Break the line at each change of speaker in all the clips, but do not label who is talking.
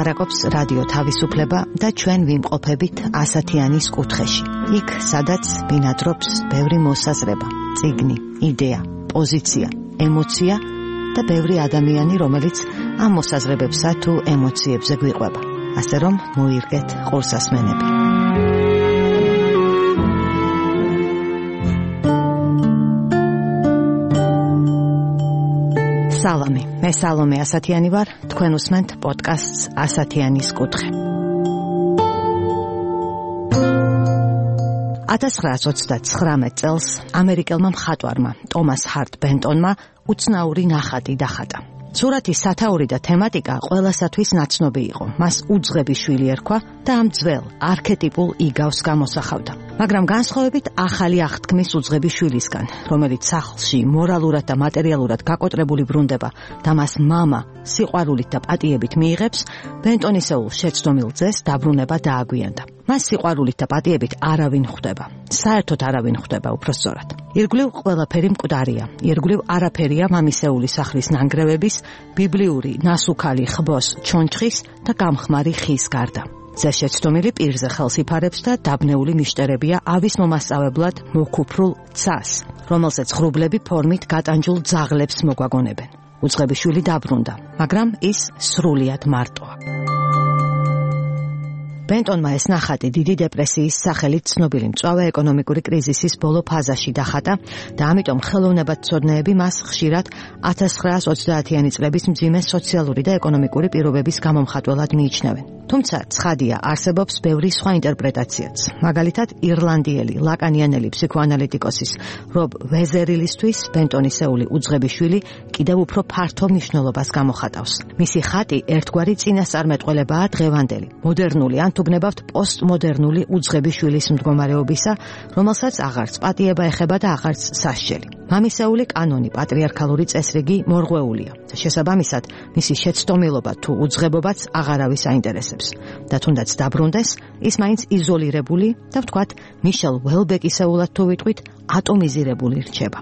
ლაპარაკობს რადიო თავისუფლება და ჩვენ ვიმყოფებით ასათიანის კუთხეში. იქ, სადაც ბინადრობს ბევრი მოსაზრება, წიგნი, იდეა, პოზიცია, ემოცია და ბევრი ადამიანი, რომელიც ამ მოსაზრებებსა თუ ემოციებზე გვიყვება. ასე რომ მოირგეთ ყურსასმენები. სალამი, მე სალომე ასათიანი ვარ, თქვენ უსმენთ პოდკასტს ასათიანის კუთხე. 1929 წელს ამერიკელმა მხატვარმა ტომას ჰარტ ბენტონმა უცნაური ნახატი დახატა. სურათის სათაური და თემატიკა ყველასათვის ნაცნობი იყო. მას უძღები შვილი ერქვა და ამ ძველ არქეტიპულ იგავს გამოსახავდა. მაგრამ განსხვავებით ახალი აღთქმის უძღები შვილისგან, რომელიც სახლში მორალურად და მატერიალურად გაკოტრებული ბრუნდება და მას მამა სიყვარულით და პატიებით მიიღებს, ბენტონისეულ შეცდომილ ძეს დაბრუნება დააგვიანდა. მას სიყვარულით და პატიებით არავინ ხვდება. საერთოდ არავინ ხვდება, უпроსწორად. ირგვლივ ყველაფერი მკვდარია. ირგვლივ არაფერია მამისეული სახლის ნანგრევების, ბიბლიური ნასუქალი ხბოს ჩონჩხის და გამხმარი ხის გარდა. ზეშეცდომილი პირზე ხელს იფარებს და დაბნეული მიშტერებია ავის მომასწავებლად მოქუფრულ ცას, რომელსაც ღრუბლები ფორმით გატანჯულ ძაღლებს მოგვაგონებენ. უძღები შვილი დაბრუნდა, მაგრამ ის სრულიად მარტოა. ბენტონმა ეს ნახატი დიდი დეპრესიის სახელით ცნობილი მწვავე ეკონომიკური კრიზისის ბოლო ფაზაში დახატა და ამიტომ ხელოვნებათმცოდნეები მას ხშირად 1930-იანი წლების მძიმე სოციალური და ეკონომიკური პირობების გამომხატველად მიიჩნევენ. თუმცა ცხადია, არსებობს ბევრი სხვა ინტერპრეტაციაც. მაგალითად, ირლანდიელი ლაკანიანელი ფსიქოანალიტიკოსის რობ ვეზერილისთვის ბენტონისეული უძღები შვილი კიდევ უფრო ფართო მნიშვნელობას გამოხატავს. მისი ხატი ერთგვარი წინასწარმეტყველებაა დღევანდელი, მოდერნული ან თუ გნებავთ პოსტმოდერნული უძღები შვილის მდგომარეობისა, რომელსაც აღარც პატიება ეხება და აღარც სასჯელი. მამისეული კანონი, პატრიარქალური წესრიგი მორღვეულია. შესაბამისად, მისი შეცდომილობა თუ უძღებობაც აღარავის აინტერესებს. და თუნდაც დაბრუნდეს, ის მაინც იზოლირებული და ვთქვათ, მიშელ უელბეკისეულად თუ ვიტყვით, ატომიზირებული რჩება.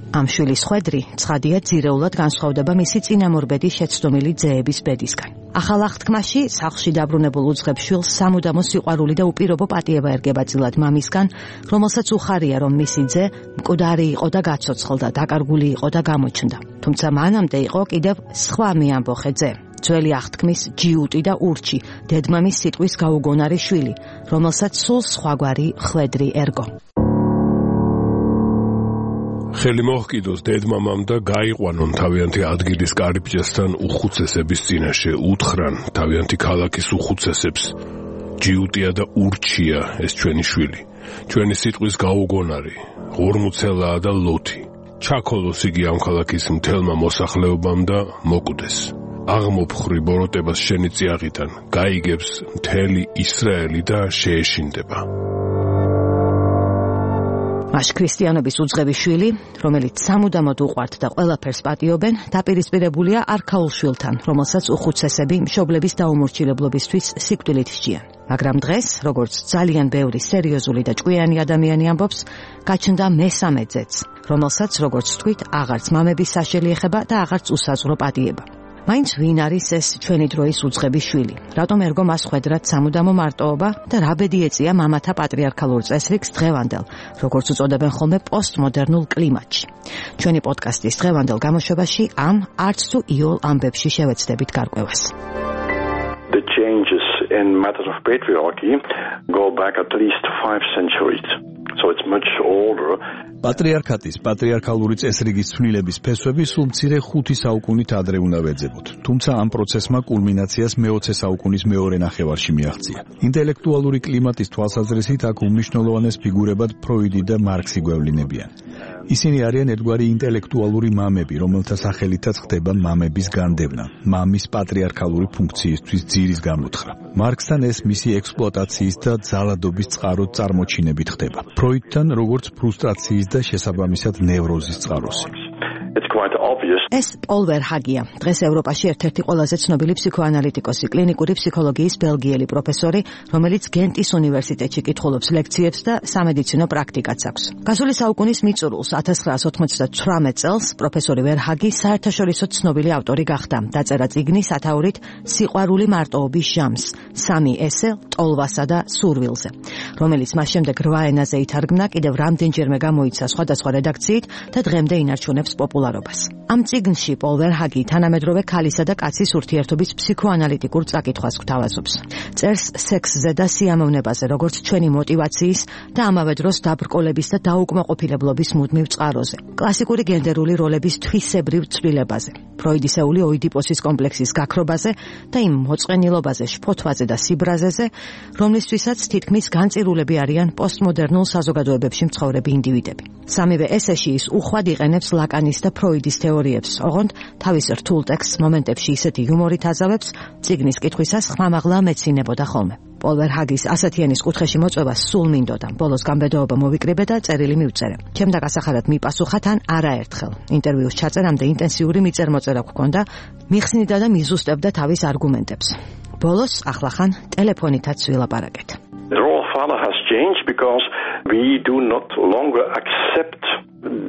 ამ შვილის ხვედრი ცხადია ძირეულად განსხვავდება მისი წინამორბედი შეცდომილი ძეების ბედისგან. ახალ აღთქმაში სახლში დაბრუნებულ უძღებ შვილს სამუდამო სიყვარული და უპირობო პატიება ერგება წილად მამისგან, რომელსაც უხარია, რომ მისი ძე მკვდარი იყო და გაცოცხლდა, დაკარგული იყო და გამოჩნდა. თუმცა მანამდე იყო კიდევ სხვა მეამბოხე ძე. ძველი აღთქმის ჯიუტი და ურჩი, დედმამის სიტყვის გაუგონარი შვილი, რომელსაც სულ სხვაგვარი ხვედრი ერგო.
ხელი მოჰკიდოს დედმამამ და გაიყვანონ თავიანთი ადგილის კარიბჭესთან უხუცესების წინაშე, უთხრან თავიანთი ქალაქის უხუცესებს. ჯიუტია და ურჩია ეს ჩვენი შვილი, ჩვენი სიტყვის გაუგონარი, ღორმუცელაა და ლოთი. ჩაქოლოს იგი ამ ქალაქის მთელმა მოსახლეობამ და მოკვდეს. აღმოფხრი ბოროტებას შენი წიაღიდან, გაიგებს მთელი ისრაელი და შეეშინდება.
მას ქრისტიანობის უძღები შვილი, რომელიც სამუდამოდ უყვართ და ყველაფერს პატიობენ, დაპირისპირებულია არქაულ შვილთან, რომელსაც უხუცესები მშობლების დაუმორჩილებლობისთვის სიკვდილით სჯიან. მაგრამ დღეს, როგორც ძალიან ბევრი სერიოზული და ჭკვიანი ადამიანი ამბობს, გაჩნდა მესამე ძეც, რომელსაც, როგორც ვთქვით, აღარც მამების საშელი ეხება და აღარც უსაზღვრო პატიება. მაინც ვინ არის ეს ჩვენი დროის უძღები შვილი? რატომ ერგო მას ხვედრად სამუდამო მარტოობა და რა ბედი ეწია მამათა პატრიარქალურ წესრიგს დღევანდელ, როგორც უწოდებენ ხოლმე პოსტმოდერნულ კლიმატში. ჩვენი პოდკასტის დღევანდელ გამოშვებაში ამ არც თუ იოლ ამბებში შევეცდებით გარკვევას.
The changes in matters of patriarchy go back at least 5 centuries. So it's much older.
პატრიარქატის პატრიარქალური წესრიგის ცვლილების ფესვები სულ მცირე 5 საუკუნით ადრე უნდა ვეძებოთ. თუმცა ამ პროცესმა კულმინაციას მე-20 საუკუნის მეორე ნახევარში მიაღწია. ინტელექტუალური კლიმატის თვალსაზრისით აქ უმნიშვნელოვანეს ფიგურებად ფროიდი და მარქსი გვევლინებიან. ისინი არიან ერთგვარი ინტელექტუალური მამები, რომელთა სახელითაც ხდება მამების განდევნა, მამის პატრიარქალური ფუნქციისთვის ძირის გამოთხრა. მარქსთან ეს მისი ექსპლუატაციის და ძალადობის წყაროდ წარმოჩინებით ხდება. ფროიდთან როგორც ფრუსტრაციის და შესაბამისად ნევროზის წყაროსი.
it's quite obvious.
ეს პოლ ვერჰაგია, დღეს ევროპაში ერთ-ერთი ყველაზე ცნობილი ფსიქოანალიტიკოსი, კლინიკური ფსიქოლოგიის ბელგიელი პროფესორი, რომელიც გენტის უნივერსიტეტში კითხულობს ლექციებს და სამედიცინო პრაქტიკაც აქვს. გასული საუკუნის მიწურულს 1998 წელს პროფესორი ვერჰაგი საერთაშორისო ცნობილი ავტორი გახდა. დაწერა წიგნი სათაურით სიყვარული მარტოობის ჟამს, 3 ესე ტოლვასა და სურვილზე, რომელიც მას შემდეგ 8 ენაზე ითარგმნა, კიდევ რამდენჯერმე გამოიცა სხვადასხვა რედაქციით და დღემდე ინარჩუნებს პოპულარობას. ამ წიგნში პოლ ვერჰაგი თანამედროვე ქალისა და კაცის ურთიერთობის ფსიქოანალიტიკურ წაკითხვას გვთავაზობს. წერს სექსზე და სიამოვნებაზე, როგორც ჩვენი мотиваციის და ამავე დროს დაბრკოლების და დაუკმაყოფილებლობის მუდმივ წყაროზე. კლასიკური გენდერული როლების თვისებრივ ცვლილებაზე, ფროიდისეული ოიდიპოსის კომპლექსის გაქრობაზე და იმ მოწყენილობაზე, შფოთვაზე და სიბრაზეზე, რომლისთვისაც თითქმის განწირულები არიან პოსტმოდერნულ საზოგადოებებში მცხოვრები ინდივიდები. სამივე ესეში ის უხვად იყენებს ლაკანის და ფროიდის თეორიებს, ოღონდ თავის რთულ ტექსტს მომენტებში ისეთი იუმორით აზავებს, წიგნის კითხვისას ხმამაღლა მეცინებოდა ხოლმე. პოლ ვერჰაგის ასათიანის კუთხეში მოწვევა სულ მინდოდა. ბოლოს გამბედაობა მოვიკრიბე და წერილი მივწერე. ჩემდა გასახარად მიპასუხა თან არაერთხელ. ინტერვიუს ჩაწერამდე ინტენსიური მიწერ-მოწერა გვქონდა, მიხსნიდა და მიზუსტებდა თავის არგუმენტებს. ბოლოს ახლახან ტელეფონითაც ვილაპარაკეთ.
The role of father has changed because we do not longer accept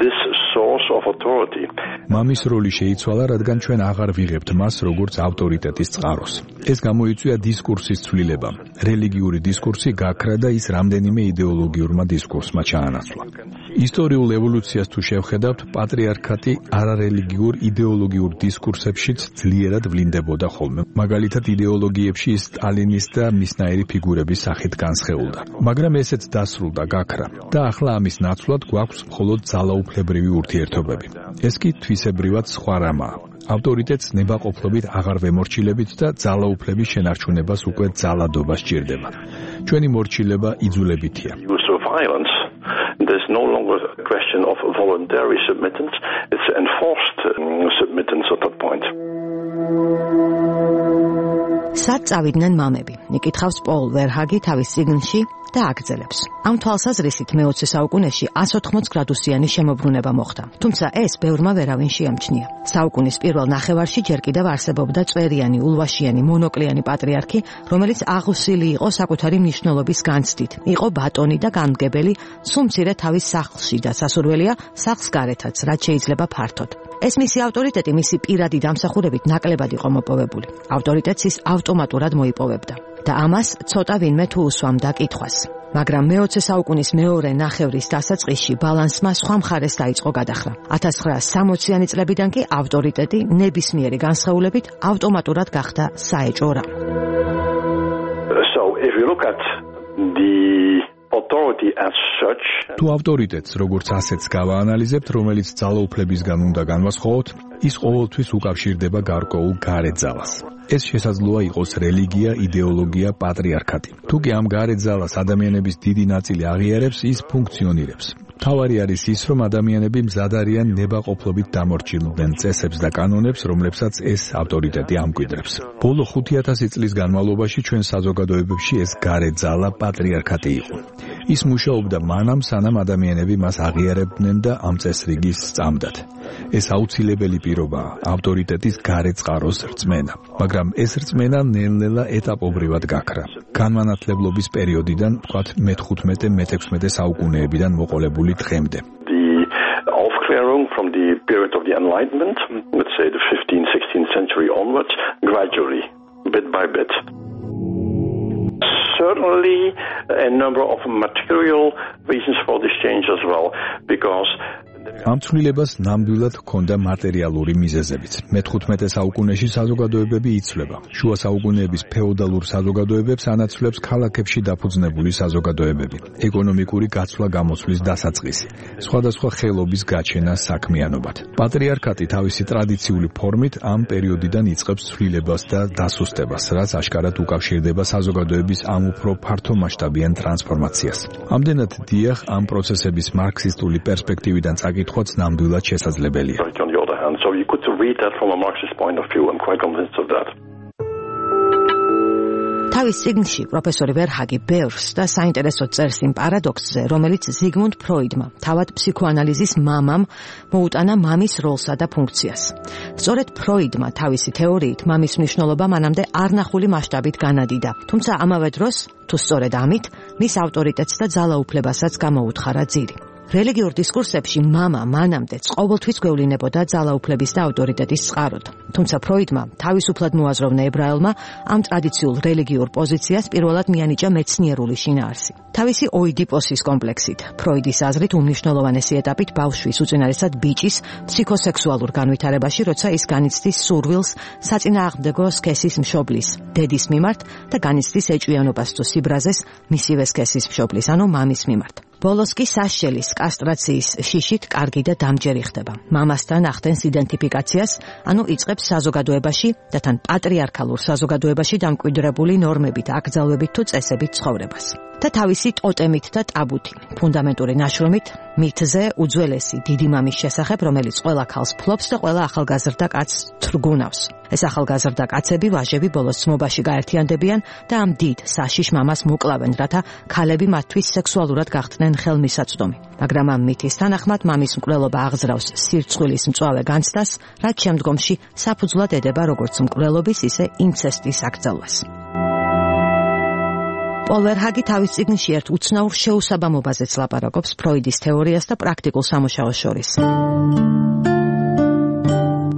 this source of authority.
მამის როლი შეიცვალა, რადგან ჩვენ აღარ ვიღებთ მას როგორც ავტორიტეტის წყაროს. ეს გამოიწვია დისკურსის ცვლილებამ. რელიგიური დისკურსი გაქრა და ის რამდენიმე იდეოლოგიურმა დისკურსმა ჩაანაცვლა. ისტორიულ ევოლუციას თუ შევხედავთ, პატრიარქატი არარელიგიურ იდეოლოგიურ დისკურსებშიც ძლიერად ვლინდებოდა ხოლმე. მაგალითად, იდეოლოგიებში სტალინის და მისნაირი ფიგურების სახით განსხეულდა. მაგრამ ესეც დასრულდა, გაქრა და ახლა ამის ნაცვლად გვაქვს მხოლოდ ძალაუფლებრივი ურთიერთობები. ეს კი თვისებრივად სხვა რამაა. ავტორიტეტს ნებაყოფლობით აღარ ვემორჩილებით და ძალაუფლების შენარჩუნებას უკვე ძალადობა სჭირდება. ჩვენი მორჩილება იძულებითია.
There's no longer a question of voluntary submittance, it's enforced submittance at that point.
სად წავიდნენ მამები? იკითხავს პოლ ვერჰაგი თავის წიგნში და აგრძელებს. ამ თვალსაზრისით მე-20 საუკუნეში 180 გრადუსიანი შემოbrunება მოხდა. თუმცა ეს ბევრმა ვერავინ შეამჩნია. საუკუნის პირველ ნახევარში ჯერ კიდევ არსებობდა წვერიანი, ულვაშიანი, მონოკლიანი პატრიარქი, რომელიც აღუსილი იყო საკუთარი მნიშვნელობის განცდით. იყო ბატონი და გამგებელი, სულ მცირე თავის სახლში და სასურველია სახლს გარეთაც, რაც შეიძლება ფართოდ. ეს მისი ავტორიტეტი მისი პირადი დამსახურებით ნაკლებად იყო მოპოვებული. ავტორიტეტს ის ავტომატურად მოიპოვებდა და ამას ცოტა ვინმე თუ უსვამდა კითხვას. მაგრამ მე-20 საუკუნის მეორე ნახევრის დასაწყისში ბალანსმა სხვა მხარეს დაიწყო გადახრა. 1960-იანი წლებიდან კი ავტორიტეტი ნებისმიერი განსხეულებით ავტომატურად გახდა საეჭვო რამ.
So if you look at the authority as such,
თუ ავტორიტეტს როგორც ასეთს გავაანალიზებთ, რომელიც ძალაუფლებისგან უნდა განვასხვაოთ, ის ყოველთვის უკავშირდება გარკვეულ გარეთ ძალას. ეს შესაძლოა იყოს რელიგია, იდეოლოგია, პატრიარქატი. თუ კი ამ გარეთ ძალას ადამიანების დიდი ნაწილი აღიარებს, ის ფუნქციონირებს. თავარი არის ის, რომ ადამიანები მზად არიან ნებაყოფლობით დამორჩილდნენ წესებს და კანონებს, რომლებსაც ეს ავტორიტეტი ამკვიდრებს. ბოლო 5000 წლის განმავლობაში ჩვენ საზოგადოებებში ეს გარეთ ძალა პატრიარქატი იყო. ის მუშაობდა მანამ, სანამ ადამიანები მას აღიარებდნენ და ამ წესრიგის სწამდათ. ეს აუცილებელი პირობაა, ავტორიტეტის გარეთ წყაროს რწმენა. მაგრამ ეს რწმენა ნელ-ნელა ეტაპობრივად გაქრა. განმანათლებლობის პერიოდიდან, ვთქვათ, მე-15-მე-16 საუკუნეებიდან მოყოლებული დღემდე.
Aufklärung from the period of the Enlightenment, let's say the 15th, 16th century onwards, gradually, bit by bit. Certainly a number of material reasons for this change as well, because
ამ ცვლილებას ნამდვილად ჰქონდა მატერიალური მიზეზებიც. მე-15 საუკუნეში საზოგადოებები იცვლება. შუა საუკუნეების ფეოდალურ საზოგადოებებს ანაცვლებს ქალაქებში დაფუძნებული საზოგადოებები. ეკონომიკური გაცვლა-გამოცვლის დასაწყისი. სხვადასხვა ხელობის გაჩენა საქმიანობად. პატრიარქატი თავისი ტრადიციული ფორმით ამ პერიოდიდან იწყებს ცვლილებას და დასუსტებას, რაც აშკარად უკავშირდება საზოგადოების ამ უფრო ფართომასშტაბიან ტრანსფორმაციას. ამდენად დიახ, ამ პროცესების მარქსისტული პერსპექტივიდან წაკითხვაც ნამდვილად შესაძლებელია.
So you could read that from a Marxist point of view. I'm quite convinced of that.
თავის წიგნში პროფესორი ვერჰაგი ბევრს და საინტერესოდ წერს იმ პარადოქსზე, რომელიც ზიგმუნდ ფროიდმა, თავად ფსიქოანალიზის მამამ, მოუტანა მამის როლსა და ფუნქციას. სწორედ ფროიდმა თავისი თეორიით მამის მნიშვნელობა მანამდე არნახული მასშტაბით განადიდა. თუმცა ამავე დროს, თუ სწორედ ამით, მის ავტორიტეტს და ძალაუფლებასაც გამოუთხარა ძირი. რელიგიურ დისკურსებში მამა მანამდეც ყოველთვის გვევლინებოდა ძალაუფლების და ავტორიტეტის წყაროდ. თუმცა ფროიდმა თავისუფლად მოაზროვნა ებრაელმა ამ ტრადიციულ რელიგიურ პოზიციას პირველად მიანიჭა მეცნიერული შინაარსი. თავისი ოიდიპოსის კომპლექსით, ფროიდის აზრით უმნიშვნელოვანესი ეტაპით ბავშვის, უწინარესად ბიჭის ფსიქოსექსუალურ განვითარებაში, როცა ის განიცდის სურვილს საწინააღმდეგო სქესის მშობლის, დედის მიმართ და განიცდის ეჭვიანობას თუ სიბრაზეს მისივე სქესის მშობლის, ანუ მამის მიმართ. ბოლოს კი საშელის კასტრაციის შიშით კარგი და დამჯერი ხდება. მამასთან ახდენს იდენტიფიკაციას, ანუ იწყებს საზოგადოებაში და თან პატრიარქალურ საზოგადოებაში დამკვიდრებული ნორმებით, აკრძალვებით თუ წესებით ცხოვრებას. და თავისი ტოტემით და ტაბუთი, ფუნდამენტური ნაშრომით, მითზე უძველესი დიდი მამის შესახებ, რომელიც ყველა ქალს ფლობს და ყველა ახალგაზრდა კაცს თრგუნავს. ეს ახალგაზრდა კაცები, ვაჟები ბოლოს ძმობაში გაერთიანდებიან და ამ დიდ საშიშ მამას მოკლავენ, რათა ქალები მათთვის სექსუალურად გახდნენ ხელმისაწვდომი. მაგრამ ამ მითის თანახმად მამის მკვლელობა აღზრავს სირცხვილის მწვავე განცდას, რაც შემდგომში საფუძვლად ედება როგორც მკვლელობის, ისე ინცესტის აკრძალვას. პოლ ვერჰაგი თავის წიგნში ერთ უცნაურ შეუსაბამობაზეც ლაპარაკობს ფროიდის თეორიას და პრაქტიკულ სამუშაოს შორის.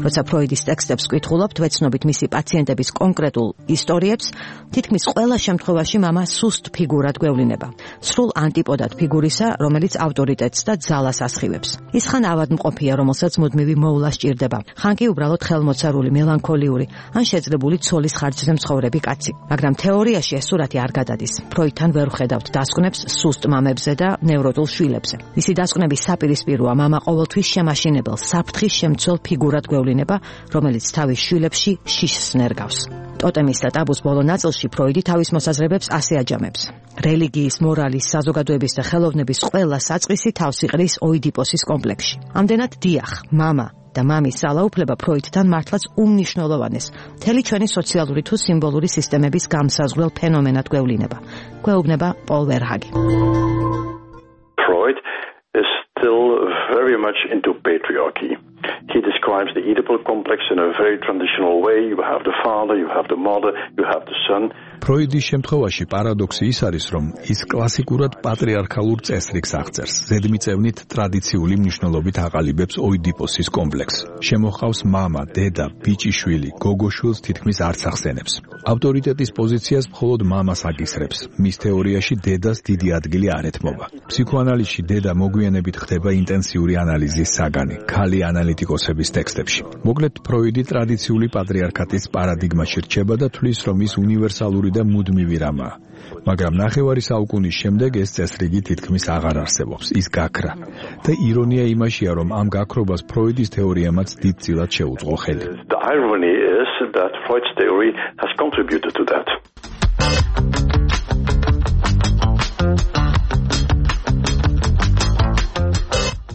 როცა ფროიდის ტექსტებს ვკითხულობთ, ვეცნობით მისი პაციენტების კონკრეტულ ისტორიებს, თითქმის ყველა შემთხვევაში მამა სუსტ ფიგურად გვევლინება. სრულ ანტიპოდად ფიგურისა, რომელიც ავტორიტეტს და ძალას ასხივებს. ის ხან ავადმყოფია, რომელსაც მუდმივი მოვლა სჭირდება, ხან კი უბრალოდ ხელმოცარული, მელანქოლიური, ან შეძლებული ცოლის ხარჯზე მცხოვრები კაცი. მაგრამ თეორიაში ეს სურათი არ გადადის. ფროიდთან ვერ ვხედავთ დასკვნებს სუსტ მამებზე და ნევროტულ შვილებზე. მისი დასკვნების საპირისპიროა მამა ყოველთვის შემაშინებელ, საფრთხის შემცველ ფიგურად გვევლინება, რომელიც თავის შვილებში შიშს ნერგავს. ტოტემის და ტაბუს ბოლო ნაწილში ფროიდი თავის მოსაზრებებს ასე აჯამებს. რელიგიის, მორალის, საზოგადოების და ხელოვნების ყველა საწყისი თავს იყრის ოიდიპოსის კომპლექსში. ამდენად დიახ, მამა და მამის ძალაუფლება ფროიდთან მართლაც უმნიშვნელოვანეს, მთელი ჩვენი სოციალური თუ სიმბოლური სისტემების გამსაზღვრელ ფენომენად გვევლინება. გვეუბნება პოლ ვერჰაგი.
Freud is still very much into patriarchy. He describes the Oedipal complex in a very traditional way. You have the father, you have the mother, you have the son.
ფროიდის შემთხვევაში პარადოქსი ის არის, რომ ის კლასიკურად პატრიარქალურ წესრიგს აღწერს. ზედმიწევნით ტრადიციული მნიშვნელობით აყალიბებს ოიდიპოსის კომპლექსს. შემოჰყავს მამა, დედა, ბიჭიშვილი, გოგოშვილს თითქმის არც ახსენებს. ავტორიტეტის პოზიციას მხოლოდ მამას აკისრებს. მის თეორიაში დედას დიდი ადგილი არ ეთმობა. ფსიქოანალიზში დედა მოგვიანებით ხდება ინტენსიური ანალიზის საგანი, ქალი ანალიტიკოსების ტექსტებში. მოკლედ, ფროიდი ტრადიციული პატრიარქატის პარადიგმაში რჩება და თვლის, რომ ის უნივერსალური და მუდმივი რამაა. მაგრამ ნახევარი საუკუნის შემდეგ ეს წესრიგი თითქმის აღარ არსებობს, ის გაქრა. და ირონია იმაშია, რომ ამ გაქრობას ფროიდის თეორიამაც დიდწილად შეუწყო ხელი.
The irony is that Freud's theory has contributed to that.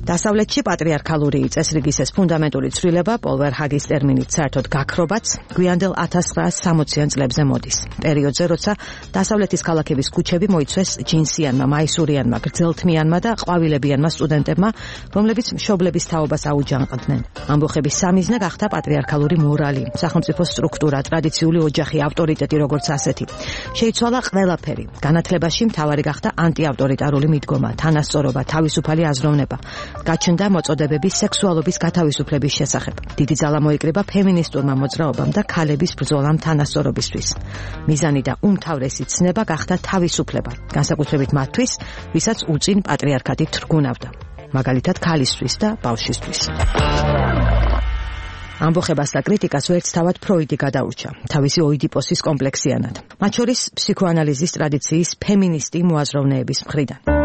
დასავლეთში პატრიარქალური წესრიგის ეს ფუნდამენტური ცვლილება პოლ ვერჰაგის ტერმინით საერთოდ გაქრობაც გვიანდელ 1960-იან წლებზე მოდის. პერიოდზე, როცა დასავლეთის ქალაქების ქუჩები მოიცვეს ჯინსიანმა, მაისურიანმა, გრძელთმიანმა და ყვავილებიანმა სტუდენტებმა, რომლებიც მშობლების თაობას აუჯანყდნენ. ამბოხების სამიზნე გახდა პატრიარქალური მორალი, სახელმწიფო სტრუქტურა, ტრადიციული ოჯახი, ავტორიტეტი როგორც ასეთი. შეიცვალა ყველაფერი. განათლებაში მთავარი გახდა ანტიავტორიტარული მიდგომა, თანასწორობა, თავისუფალი აზროვნება. გაჩნდა მოწოდებების სექსუალობის გათავისუფლების შესახებ. დიდი ძალა მოიკრიბა ფემინისტურმა მოძრაობამ და ქალების ბრძოლამ თანასწორობისთვის. მიზანი და უმთავრესი ცნება გახდა თავისუფლება, განსაკუთრებით მათთვის, ვისაც უწინ პატრიარქატი თრგუნავდა, მაგალითად ქალისთვის და ბავშვისთვის. ამბოხებას და კრიტიკას ვერც თავად ფროიდი გადაურჩა, თავისი ოიდიპოსის კომპლექსიანად, მათ შორის ფსიქოანალიზის ტრადიციის ფემინისტი მოაზროვნეების მხრიდან.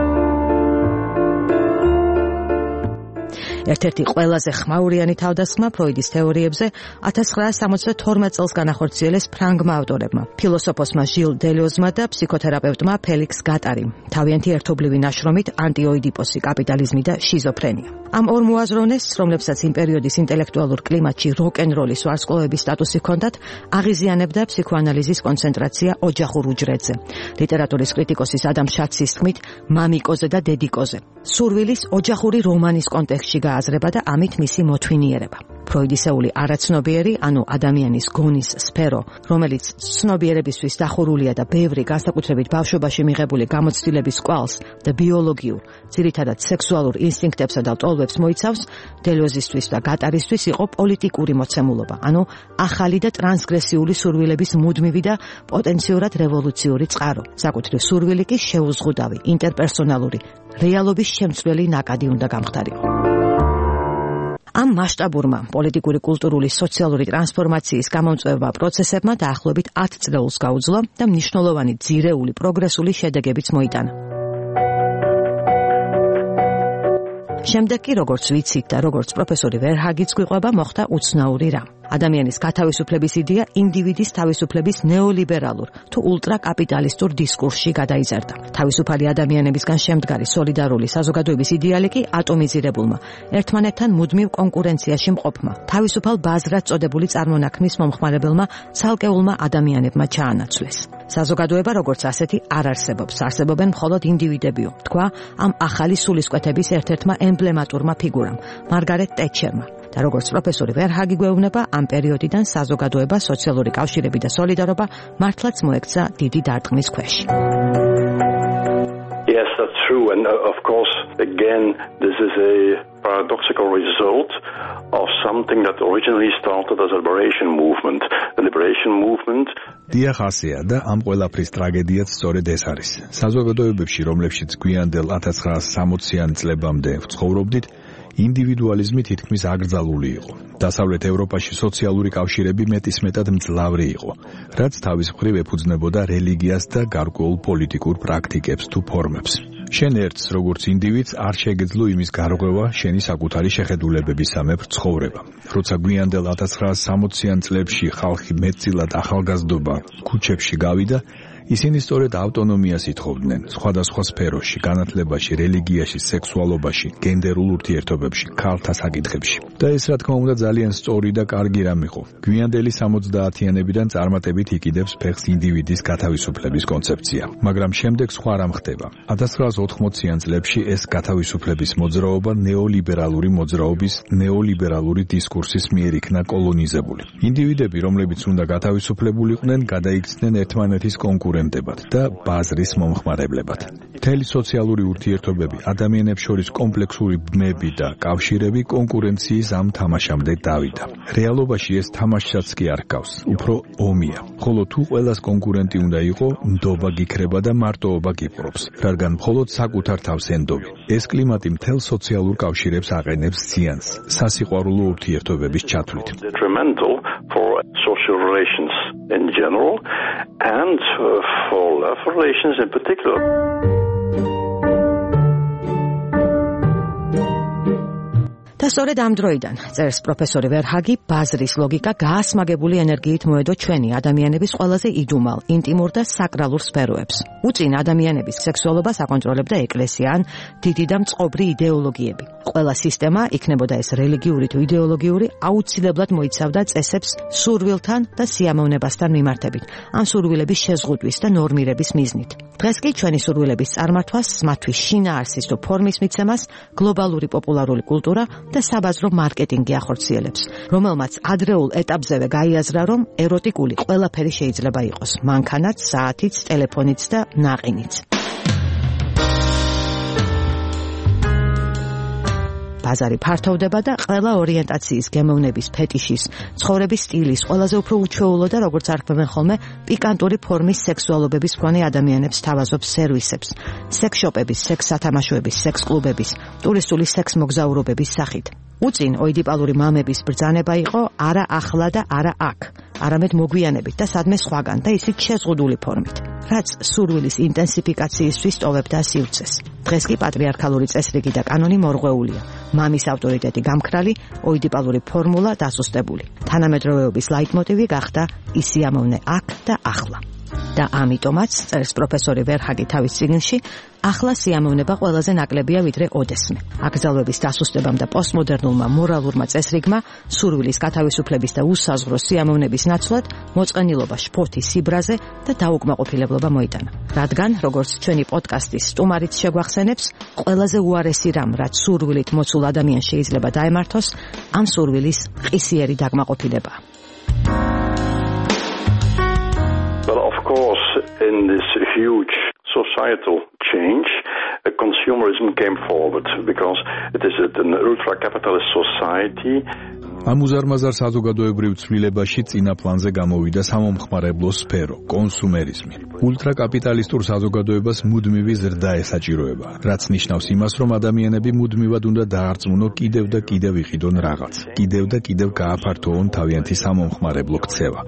ერთ-ერთი ყველაზე ხმაურიანი თავდასხმა ფროიდის თეორიებზე 1972 წელს განახორციელეს ფრანგმა ავტორებმა, ფილოსოფოსმა ჟილ დელიოზმა და ფსიქოთერაპევტმა ფელიქს გატარიმ, თავიანთი ერთობლივი ნაშრომით ანტიოიდიპოსი, კაპიტალიზმი და შიზოფრენია. ამ ორ მოაზროვნეს, რომლებსაც იმ პერიოდის ინტელექტუალურ კლიმატში როკ-ენ-როლის ვარსკვლავების სტატუსი ჰქონდათ, აღიზიანებდა ფსიქოანალიზის კონცენტრაცია ოჯახურ უჯრედზე. ლიტერატურის კრიტიკოსის ადამ შაცის თქმით, მამიკოზე და დედიკოზე. სურვილის ოჯახური რომანის კონტექსტში გააზრება და ამით მისი მოთვინიერება. ფროიდისეული არაცნობიერი, ანუ ადამიანის გონის სფერო, რომელიც ცნობიერებისთვის დახურულია და ბევრი განსაკუთრებით ბავშვობაში მიღებული გამოცდილების კვალს და ბიოლოგიურ, ძირითადად სექსუალურ ინსტინქტებსა და ლტოლვებს მოიცავს, დელიოზისთვის და გატარისთვის იყო პოლიტიკური მოცემულობა, ანუ ახალი და ტრანსგრესიული სურვილების მუდმივი და პოტენციურად რევოლუციური წყარო. საკუთრივ სურვილი კი შეუზღუდავი, ინტერპერსონალური, რეალობის შემცვლელი ნაკადი უნდა გამხდარიყო. ამ მასშტაბურმა პოლიტიკური, კულტურული, სოციალური ტრანსფორმაციის გამომწვევმა პროცესებმა დაახლოებით 10 წლეულს გაუძლო და მნიშვნელოვანი ძირეული პროგრესული შედეგებიც მოიტანა. შემდეგ კი, როგორც ვიცით და როგორც პროფესორი ვერჰაგიც გვიყვება, მოხდა უცნაური რამ. ადამიანის გათავისუფლების იდეა ინდივიდის თავისუფლების ნეოლიბერალურ თუ ულტრაკაპიტალისტურ დისკურსში გადაიზარდა. თავისუფალი ადამიანებისგან შემდგარი სოლიდარული საზოგადოების იდეალი კი ატომიზირებულმა, ერთმანეთთან მუდმივ კონკურენციაში მყოფმა, თავისუფალ ბაზრად წოდებული წარმონაქმნის მომხმარებელმა ცალკეულმა ადამიანებმა ჩაანაცვლეს. საზოგადოება როგორც ასეთი არ არსებობს, არსებობენ მხოლოდ ინდივიდებიო, თქვა ამ ახალი სულისკვეთების ერთ-ერთმა ემბლემატურმა ფიგურამ, მარგარეტ ტეტჩერმა. და როგორც პროფესორი ვერჰაგი გვეუბნება, ამ პერიოდიდან საზოგადოება, სოციალური კავშირები და სოლიდარობა მართლაც მოექცა დიდი დარტყმის ქვეშ.
Yes, that's true, and of course, again, this is a paradoxical result of something that originally started as a liberation movement. The liberation movement
დიახ, ასეა და ამ ყველაფრის ტრაგედიაც სწორედ ეს არის. საზოგადოებებში, რომლებშიც გვიანდელ 1960-იან წლებამდე ვცხოვრობდით, ინდივიდუალიზმი თითქმის აკრძალული იყო. დასავლეთ ევროპაში სოციალური კავშირები მეტისმეტად მძლავრი იყო, რაც თავის მხრივ ეფუძნებოდა რელიგიას და გარკვეულ პოლიტიკურ პრაქტიკებს თუ ფორმებს. შენ ერთს, როგორც ინდივიდს, არ შეგეძლო იმის გარღვევა შენი საკუთარი შეხედულებებისამებრ ცხოვრება. როცა გვიანდელ 1960-იან წლებში ხალხი მეტწილად ახალგაზრდობა ქუჩებში გავიდა, ისინი სწორედ ავტონომიას ითხოვდნენ სხვადასხვა სფეროში, განათლებაში, რელიგიაში, სექსუალობაში, გენდერულ ურთიერთობებში, ქალთა საკითხებში. და ეს რა თქმა უნდა ძალიან სწორი და კარგი რამ იყო. გვიანდელი 70-იანებიდან წარმატებით იკიდებს ფეხს ინდივიდის გათავისუფლების კონცეფცია. მაგრამ შემდეგ სხვა რამ ხდება. 1980-იან წლებში ეს გათავისუფლების მოძრაობა ნეოლიბერალური მოძრაობის, ნეოლიბერალური დისკურსის მიერ იქნა კოლონიზებული. ინდივიდები, რომლებიც უნდა გათავისუფლებულიყვნენ, გადაიქცნენ ერთმანეთის კონკურენტებად და ბაზრის მომხმარებლებად. მთელი სოციალური ურთიერთობები, ადამიანებს შორის კომპლექსური ბმები და კავშირები კონკურენციის ამ თამაშამდე დავიდა. რეალობაში ეს თამაშსაც კი არ ჰგავს, უფრო ომია. ხოლო თუ ყველას კონკურენტი უნდა იყო, ნდობა გიქრება და მარტოობა გიპყრობს, რადგან მხოლოდ საკუთარ თავს ენდობი. ეს კლიმატი მთელ სოციალურ კავშირებს აყენებს ზიანს, სასიყვარულო ურთიერთობების ჩათვლით.
For social relations in general and for love relations in particular.
და სწორედ ამ დროიდან, წერს პროფესორი ვერჰაგი, ბაზრის ლოგიკა გაასმაგებული ენერგიით მოედო ჩვენი ადამიანების ყველაზე იდუმალ, ინტიმურ და საკრალურ სფეროებს. უწინ ადამიანების სექსუალობას აკონტროლებდა ეკლესია ან დიდი და მწყობრი იდეოლოგიები. ყველა სისტემა, იქნებოდა ეს რელიგიური თუ იდეოლოგიური, აუცილებლად მოიცავდა წესებს სურვილთან და სიამოვნებასთან მიმართებით, ამ სურვილების შეზღუდვის და ნორმირების მიზნით. დღეს კი ჩვენი სურვილების წარმართვას, მათთვის შინაარსის თუ ფორმის მიცემას გლობალური პოპულარული კულტურა და საბაზრო მარკეტინგი ახორციელებს, რომელმაც ადრეულ ეტაპზევე გაიაზრა, რომ ეროტიკული ყველაფერი შეიძლება იყოს, მანქანაც, საათიც, ტელეფონიც და ნაყინიც. ბაზარი ფართოვდება და ყველა ორიენტაციის, გემოვნების, ფეტიშის, ცხოვრების სტილის, ყველაზე უფრო უჩვეულო და როგორც არქმევენ ხოლმე, პიკანტური ფორმის სექსუალობების მქონე ადამიანებს თავაზობს სერვისებს, სექსშოპების, სექს-სათამაშოების, სექს-კლუბების, ტურისტული სექს-მოგზაურობების სახით. უწინ ოიდიპალური მამების ბრძანება იყო არა ახლა და არა აქ, არამედ მოგვიანებით და სადმე სხვაგან და ისიც შეზღუდული ფორმით. რაც სურვილის ინტენსიფიკაციისთვის ტოვებდა სივრცეს. დღეს კი პატრიარქალური წესრიგი და კანონი მორღვეულია. მამის ავტორიტეტი გამქრალი, ოიდიპალური ფორმულა დასუსტებული. თანამედროვეობის ლაიტმოტივი გახდა ის სიამოვნე აქ და ახლა. და ამიტომაც, წერს პროფესორი ვერჰაგი თავის წიგნში, ახლა სიამოვნება ყველაზე ნაკლებია ვიდრე ოდესმე. აკრძალვების დასუსტებამ და პოსტმოდერნულმა მორალურმა წესრიგმა სურვილის გათავისუფლების და უსაზღვრო სიამოვნების ნაცვლად მოწყენილობა შფოთის სიბრაზე და დაუკმაყოფილებლობა მოიტანა. რადგან, როგორც ჩვენი პოდკასტის სტუმარიც შეგვახსენებს, ყველაზე უარესი რამ, რაც სურვილით მოცულ ადამიანს შეიძლება დაემართოს, ამ სურვილის ყისიერი დაკმაყოფილებაა.
Well, of course, in this huge societal change, consumerism came forward because it is an ultra-capitalist society.
ამ უზარმაზარ საზოგადოებრივ ცვლილებაში წინა პლანზე გამოვიდა სამომხმარებლო სფერო, კონსუმერიზმი. ულტრაკაპიტალისტურ საზოგადოებას მუდმივი ზრდა ესაჭიროება, რაც ნიშნავს იმას, რომ ადამიანები მუდმივად უნდა დაარწმუნო კიდევ და კიდევ იყიდონ რაღაც, კიდევ და კიდევ გააფართოონ თავიანთი სამომხმარებლო ქცევა.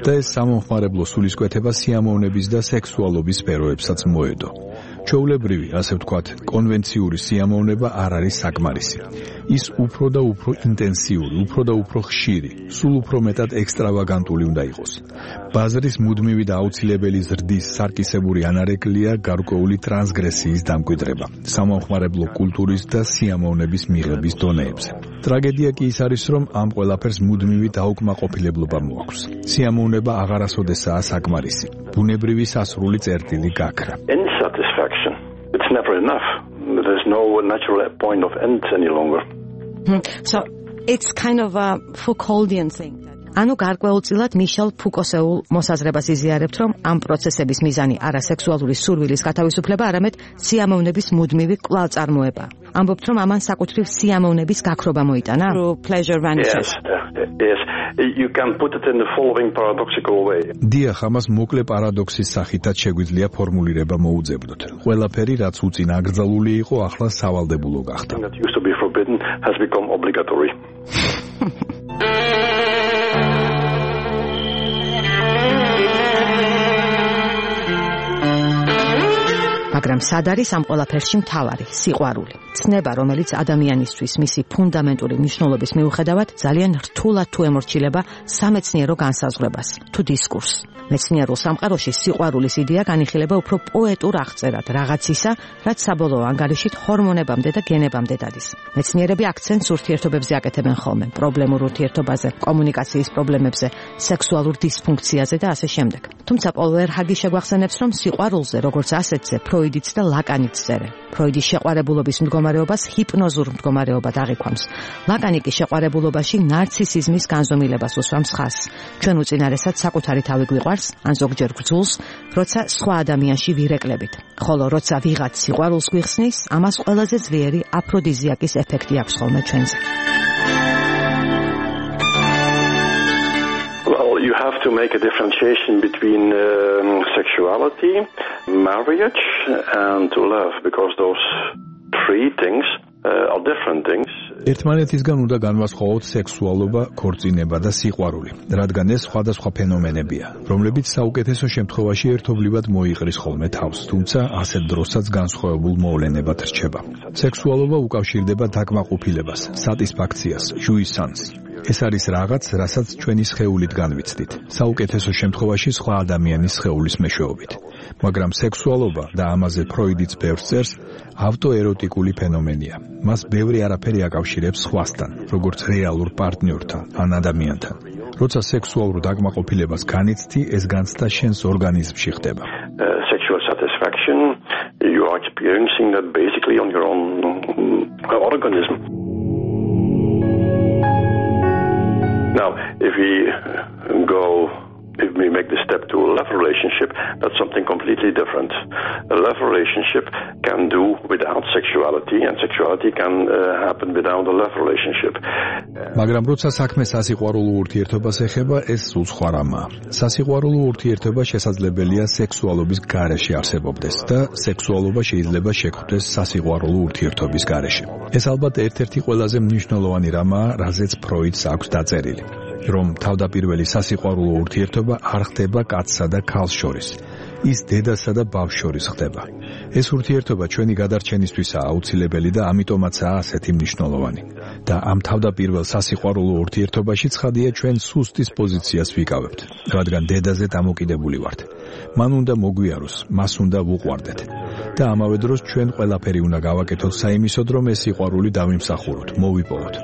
და ეს სამომხმარებლო სულისკვეთება სიამოვნების და სექსუალობის სფეროებსაც მოედო. ჩვეულებრივი, ასე ვთქვათ, კონვენციური სიამოვნება არ არის საკმარისი. ის უფრო და უფრო ინტენსიური, უფრო და უფრო ხშირი, სულ უფრო მეტად ექსტრავაგანტული უნდა იყოს. ბაზრის მუდმივი და აუცილებელი ზრდის სარკისებური ანარეკლია გარკვეული ტრანსგრესიის დამკვიდრება, სამომხმარებლო კულტურის და სიამოვნების მიღების დონეებზე. ტრაგედია კი ის არის, რომ ამ ყველაფერს მუდმივი დაუკმაყოფილებლობა მოაქვს. სიამოვნება აღარასოდესაა საკმარისი. ბუნებრივი სასრული წერტილი გაქრა.
Insatisfaction. It's never enough. There's no natural point of end any longer.
So it's kind of a Foucauldian thing. ანუ გარკვეულწილად მიშელ ფუკოსეულ მოსაზრებას იზიარებთ, რომ ამ პროცესების მიზანი არა სექსუალური სურვილის გათავისუფლება, არამედ სიამოვნების მუდმივი კვლავწარმოება. ამბობთ, რომ ამან საკუთრივ სიამოვნების გაქრობა მოიტანა. Pleasure vanishes.
Yes. You can put it in the following paradoxical way.
დიახ, ამას მოკლე პარადოქსის სახითაც შეგვიძლია ფორმულირება მოუძებნოთ. ყველაფერი, რაც უწინ აკრძალული იყო, ახლა სავალდებულო გახდა.
That used to be forbidden has become obligatory.
მაგრამ სად არის ამ ყველაფერში მთავარი სიყვარული? ცნება, რომელიც ადამიანისთვის მისი ფუნდამენტური მნიშვნელობის მიუხედავად ძალიან რთულად თუ ემორჩილება სამეცნიერო განსაზღვრებას თუ დისკურსს. მეცნიერულ სამყაროში სიყვარულის იდეა განიხილება უფრო პოეტურ აღწერად რაღაცისა, რაც საბოლოო ანგარიშით ჰორმონებამდე და გენებამდე დადის. მეცნიერები აქცენტს ურთიერთობებზე აკეთებენ ხოლმე, პრობლემურ ურთიერთობაზე, კომუნიკაციის პრობლემებზე, სექსუალურ დისფუნქციაზე და ასე შემდეგ. თუმცა პოლ ვერჰაგი შეგვახსენებს, რომ სიყვარულზე, როგორც ასეთზე, ფროიდიც და ლაკანიც წერენ. ფროიდი შეყვარებულობის მდგომარეობას ჰიპნოზურ მდგომარეობად აღიქვამს. ლაკანი კი შეყვარებულობაში ნარცისიზმის განზომილებას უსვამს ხაზს. ჩვენ უწინარესად საკუთარი თავი გვიყვარს, ან ზოგჯერ გძულს, როცა სხვა ადამიანში ვირეკლებით. ხოლო როცა ვიღაც სიყვარულს გვიხსნის, ამას ყველაზე ძლიერი აფროდიზიაკის ეფექტი აქვს ხოლმე ჩვენზე.
You have to make a differentiation between sexuality, marriage, and love, because those three things are different things.
ერთმანეთისგან უნდა განვასხვაოთ სექსუალობა, ქორწინება და სიყვარული, რადგან ეს სხვადასხვა ფენომენებია, რომლებიც საუკეთესო შემთხვევაში ერთობლივად მოიყრის ხოლმე თავს, თუმცა ასეთ დროსაც განსხვავებულ მოვლენებად რჩება. სექსუალობა უკავშირდება დაკმაყოფილებას, სატისფაქციას, ჟუისანს. ეს არის რაღაც, რასაც ჩვენი სხეულით განვიცდით, საუკეთესო შემთხვევაში სხვა ადამიანის სხეულის მეშვეობით. მაგრამ სექსუალობა და ამაზე ფროიდიც ბევრს წერს, ავტოეროტიკული ფენომენია. მას ბევრი არაფერი აკავშირებს სხვასთან, როგორც რეალურ პარტნიორთან ან ადამიანთან. როცა სექსუალურ დაკმაყოფილებას განიცდი, ეს განცდა შენს ორგანიზმში ხდება.
Sexual satisfaction, you are experiencing that basically on your own organism. Now, if we make the step to a love relationship, that's something completely different. A love relationship can do without sexuality, and sexuality can happen without a love relationship.
მაგრამ როცა საქმე სასიყვარულო ურთიერთობას ეხება, ეს სულ სხვა რამაა. სასიყვარულო ურთიერთობა შესაძლებელია სექსუალობის გარეშე არსებობდეს და სექსუალობა შეიძლება შეგვხვდეს სასიყვარულო ურთიერთობის გარეშე. ეს ალბათ ერთ-ერთი ყველაზე მნიშვნელოვანი რამაა, რაზეც ფროიდს აქვს დაწერილი. რომ თავდაპირველი სასიყვარულო ურთიერთობა არ ხდება კაცსა და ქალს შორის. ის დედასა და ბავშვს შორის ხდება. ეს ურთიერთობა ჩვენი გადარჩენისთვისაა აუცილებელი და ამიტომაცაა ასეთი მნიშვნელოვანი. და ამ თავდაპირველ სასიყვარულო ურთიერთობაში ცხადია ჩვენ სუსტის პოზიციას ვიკავებთ, რადგან დედაზე დამოკიდებული ვართ. მან უნდა მოგვიაროს, მას უნდა ვუყვარდეთ. და ამავე დროს ჩვენ ყველაფერი უნდა გავაკეთოთ საიმისოდ, რომ ეს სიყვარული დავიმსახუროთ, მოვიპოვოთ.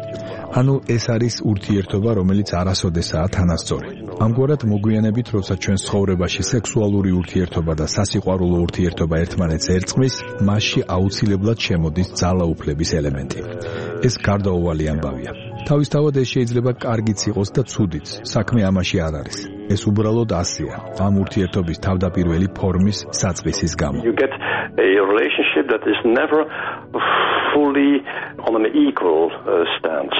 ანუ ეს არის ურთიერთობა, რომელიც არასოდესაა თანასწორი. ამგვარად მოგვიანებით, როცა ჩვენ ცხოვრებაში სექსუალური ურთიერთობა და სასიყვარულო ურთიერთობა ერთმანეთს ერწყმის, მასში აუცილებლად შემოდის ძალაუფლების ელემენტი. ეს გარდაუვალი ამბავია. თავისთავად ეს შეიძლება კარგიც იყოს და ცუდიც, საქმე ამაში არ არის. ეს უბრალოდ ასეა, ამ ურთიერთობის თავდაპირველი ფორმის საწყისის გამო.
You get a relationship that is never fully on an equal stance.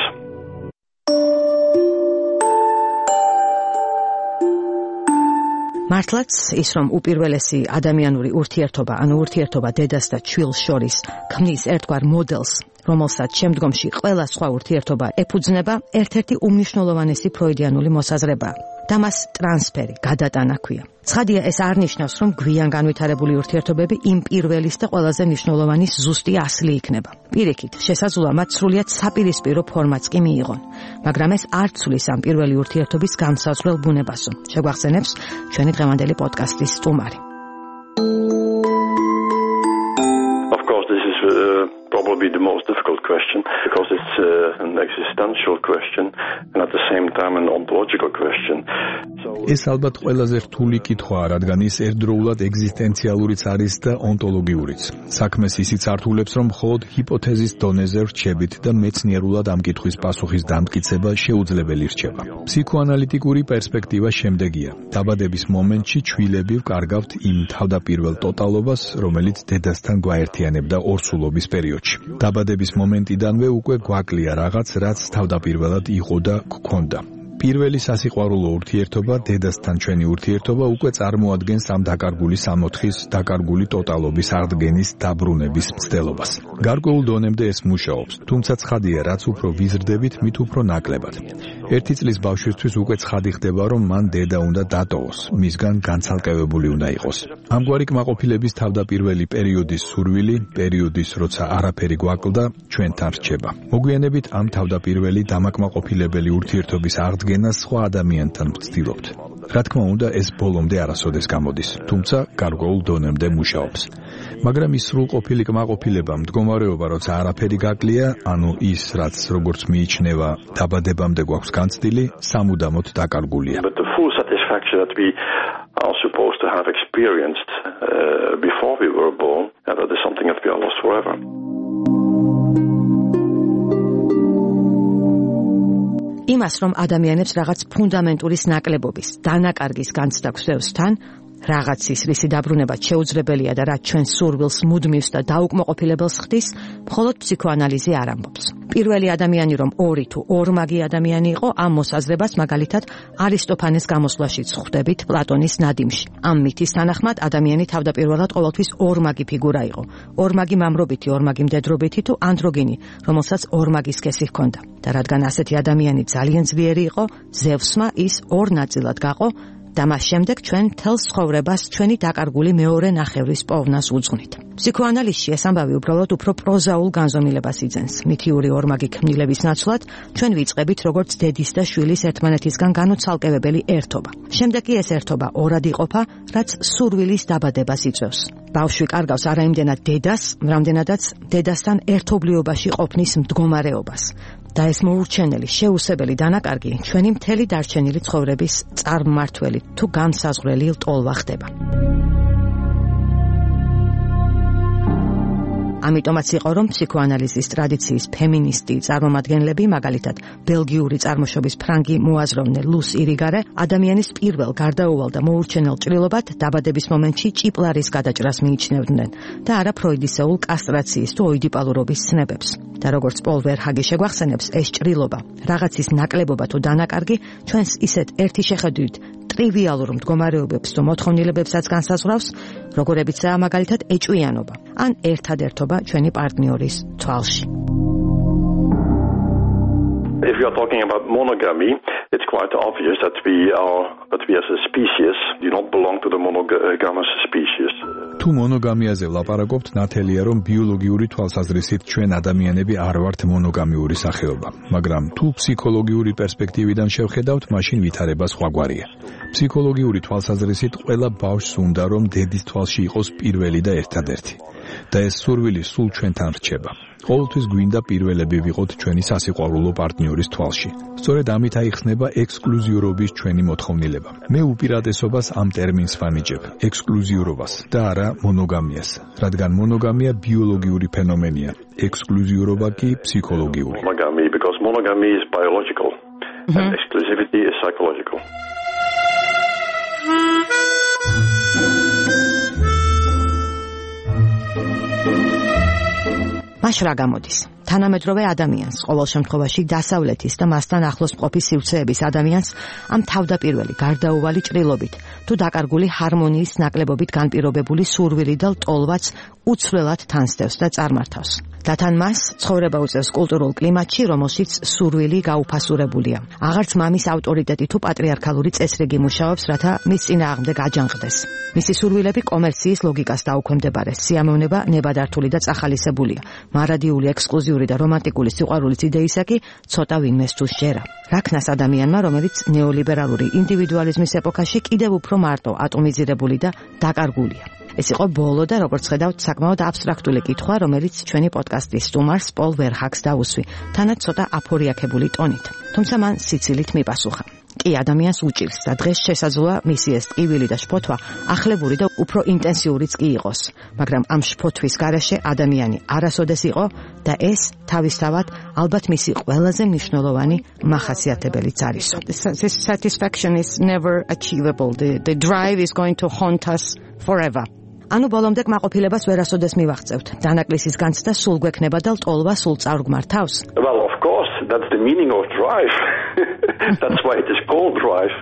მართლაც ის რომ უპირველესი ადამიანური ურთიერთობა, ანუ ურთიერთობა დედას და ჩვილს შორის ქმნის ერთგვარ მოდელს, რომელსაც შემდგომში ყველა სხვა ურთიერთობა ეფუძნება, ერთ-ერთი უმნიშვნელოვანესი ფროიდიანული მოსაზრებაა. და მას ტრანსფერი, გადატანა ქვია. ცხადია, ეს არ ნიშნავს, რომ გვიან განვითარებული ურთიერთობები იმ პირველის და ყველაზე მნიშვნელოვანის ზუსტი ასლი იქნება. პირიქით, შესაძლოა მათ სრულიად საპირისპირო ფორმაც კი მიიღონ, მაგრამ ეს არ ცვლის ამ პირველი ურთიერთობის განსაზღვრელ ბუნებასო. შეგვახსენებს ჩვენი დღევანდელი პოდკასტის სტუმარი.
Of course, this is probably the most difficult question because it's an existential question and at the same time an ontological question.
ეს ალბათ ყველაზე რთული კითხვაა, რადგან ის ერთდროულად ეგზისტენციალურიც არის და ონტოლოგიურიც. საქმეს ისიც ართულებს, რომ მხოლოდ ჰიპოთეზის დონეზე რჩებით და მეცნიერულად ამ კითხვის პასუხის დამტკიცება შეუძლებელი რჩება. ფსიქოანალიტიკური პერსპექტივა შემდეგია. დაბადების მომენტში ჩვილები ვკარგავთ იმ თავდაპირველ ტოტალობას, რომელიც დედასთან გვაერთიანებდა ორსულობის პერიოდში. დაბადების მომენტიდანვე უკვე გვაკლია რაღაც, რაც თავდაპირველად იყო და გქონდა. პირველი სასიყვარულო ურთიერთობა, დედასთან ჩვენი ურთიერთობა უკვე წარმოადგენს ამ დაკარგული სამოთხის, დაკარგული ტოტალობის აღდგენის დაბრუნების მცდელობას. გარკვეულ დონემდე ეს მუშაობს, თუმცა ცხადია, რაც უფრო ვიზრდებით, მით უფრო ნაკლებად. 1 წლის ბავშვისთვის უკვე ცხადი ხდება, რომ მან დედა უნდა დატოვოს, მისგან განცალკევებული უნდა იყოს. ამგვარი კმაყოფილების თავდაპირველი პერიოდის სურვილი, პერიოდის, როცა არაფერი გვაკლდა, ჩვენთან რჩება. მოგვიანებით ამ თავდაპირველი დამაკმაყოფილებელი ურთიერთობის აღდგენას სხვა ადამიანთან ვცდილობთ. რა თქმა უნდა, ეს ბოლომდე არასოდეს გამოდის, თუმცა გარკვეულ დონემდე მუშაობს. მაგრამ ის სრულყოფილი კმაყოფილება, მდგომარეობა, როცა არაფერი გაკლია, ანუ ის, რაც როგორც მიიჩნევა, დაბადებამდე გვაქვს განცდილი, სამუდამოდ დაკარგულია.
But the full satisfaction that we are supposed to have experienced before we were born, that is something that we are lost forever.
იმას, რომ ადამიანებს რაღაც ფუნდამენტურის ნაკლებობის, დანაკარგის განცდა გვსდევს თან, რაღაცის რისი დაბრუნება შეუძლებელია და რაც ჩვენ სურვილს მუდმივს და დაუკმაყოფილებელს ხდის, მხოლოდ ფსიქოანალიზი არ ამბობს. პირველი ადამიანი რომ ორი თუ ორმაგი ადამიანი იყო, ამ მოსაზრებას მაგალითად არისტოფანეს გამოსვლაშიც ხვდებით პლატონის ნადიმში. ამ მითის თანახმად ადამიანი თავდაპირველად ყოველთვის ორმაგი ფიგურა იყო. ორმაგი მამრობითი, ორმაგი მდედრობითი თუ ანდროგინი, რომელსაც ორმაგი სქესი ჰქონდა. და რადგან ასეთი ადამიანი ძალიან ძლიერი იყო, ზევსმა ის ორ ნაწილად გაყო და მას შემდეგ ჩვენ თელს ცხოვრებას ჩვენი დაკარგული მეორე ნახევრის პოვნას უძღვნით. ფსიქოანალიზში ეს ამბავი უბრალოდ უფრო პროზაულ განზომილებას იძენს. მითიური ორმაგი ქმნილების ნაცვლად ჩვენ ვიწყებით როგორც დედის და შვილის ერთმანეთისგან განუცალკევებელი ერთობა. შემდეგ კი ეს ერთობა ორად იყოფა, რაც სურვილის დაბადებას იწვევს. ბავშვი კარგავს არა იმდენად დედას, რამდენადაც დედასთან ერთობლიობაში ყოფნის მდგომარეობას. და ეს მოურჩენელი, შეუსებელი დანაკარგი ჩვენი მთელი დარჩენილი ცხოვრების წარმმართველი თუ განსაზღვრელი ლტოლვა ხდება. ამიტომაც იყო, რომ ფსიქოანალიზის ტრადიციის ფემინისტი წარმომადგენლები, მაგალითად ბელგიური წარმოშობის ფრანგი მოაზროვნე ლუს ირიგარე, ადამიანის პირველ გარდაუვალ და მოურჩენელ ჭრილობად დაბადების მომენტში ჭიპლარის გადაჭრას მიიჩნევდნენ და არა ფროიდისეულ კასტრაციის თუ ოიდიპალურობის ცნებებს. და როგორც პოლ ვერჰაგი შეგვახსენებს, ეს ჭრილობა, რაღაცის ნაკლებობა თუ დანაკარგი ჩვენს ისეთ ერთი შეხედვით ტრივიალურ მდგომარეობებს თუ მოთხოვნილებებსაც განსაზღვრავს, როგორებიცაა მაგალითად ეჭვიანობა ან ერთადერთობა ჩვენი პარტნიორის თვალში.
If you are talking about monogamy, it's quite obvious that we as a species do not belong to the monogamous species.
თუ მონოგამიაზე ვლაპარაკობთ, ნათელია, რომ ბიოლოგიური თვალსაზრისით ჩვენ ადამიანები არ ვართ მონოგამიური სახეობა, მაგრამ თუ ფსიქოლოგიური პერსპექტივიდან შევხედავთ, მაშინ ვითარება სხვაგვარია. ფსიქოლოგიური თვალსაზრისით ყველა ბავშვს უნდა რომ დედის თვალში იყოს პირველი და ერთადერთი. და ეს სურვილი სულ ჩვენთან რჩება. ყოველთვის გვინდა პირველები ვიყოთ ჩვენი სასიყვარულო პარტნიორის თვალში. სწორედ ამით აიხსნება ექსკლუზიურობის ჩვენი მოთხოვნილება. მე უპირატესობას ამ ტერმინს ვანიჭებ, ექსკლუზიურობას და არა მონოგამიას, რადგან მონოგამია ბიოლოგიური ფენომენია, ექსკლუზიურობა კი ფსიქოლოგიური.
Monogamy, because monogamy is biological and exclusivity is psychological.
მაშ რა გამოდის? თანამედროვე ადამიანს, ყოველ შემთხვევაში დასავლეთის და მასთან ახლოს მყოფი სივრცეების ადამიანს ამ თავდაპირველი გარდაუვალი ჭრილობით თუ დაკარგული ჰარმონიის ნაკლებობით განპირობებული სურვილი და ლტოლვაც უცვლელად თანსდევს და წარმართავს. და თან მას ცხოვრება უწევს კულტურულ კლიმატში, რომელშიც სურვილი გაუფასურებულია. აღარც მამის ავტორიტეტი თუ პატრიარქალური წესრიგი მუშაობს, რათა მის წინააღმდეგ აჯანყდეს. მისი სურვილები კომერციის ლოგიკას დაუქვემდებარეს. სიამოვნება ნებადართული და წახალისებულია. მარადიული ექსკლუზიური და რომანტიკული სიყვარულის იდეისა კი ცოტა ვინმეს თუ შეერა. რაქნას ადამიანმა, რომელიც ნეოლიბერალური ინდივიდუალიზმის ეპოქაში კიდევ უფრო მარტო ატომიზირებული და დაკარგულია. ეს იყო ბოლო და როგორც ხედავთ, საკმაოდ აბსტრაქტული კითხვა, რომელიც ჩვენი პოდკასტის სტუმარს პოლ ვერჰაგს დაუსვი, თანაც ცოტა აფორიაქებული ტონით. თუმცა მან სიცილით მიპასუხა. კი, ადამიანს უჭირს და დღეს შესაძლოა მისი ეს ტკივილი და შფოთვა ახლებური და უფრო ინტენსიურიც კი იყოს, მაგრამ ამ შფოთვის გარეშე ადამიანი არასოდეს იყო და ეს თავისთავად ალბათ მისი ყველაზე მნიშვნელოვანი მახასიათებელიც არის. This satisfaction is never achievable. The drive is going to haunt us forever. ანუ ბოლომდე კმაყოფილებას ვერასოდეს მივაღწევთ. დანაკლისის განცდა სულ გვექნება და ლტოლვა სულ წარგმართავს.
Well, of course, that's the meaning of drive. That's why it is called drive.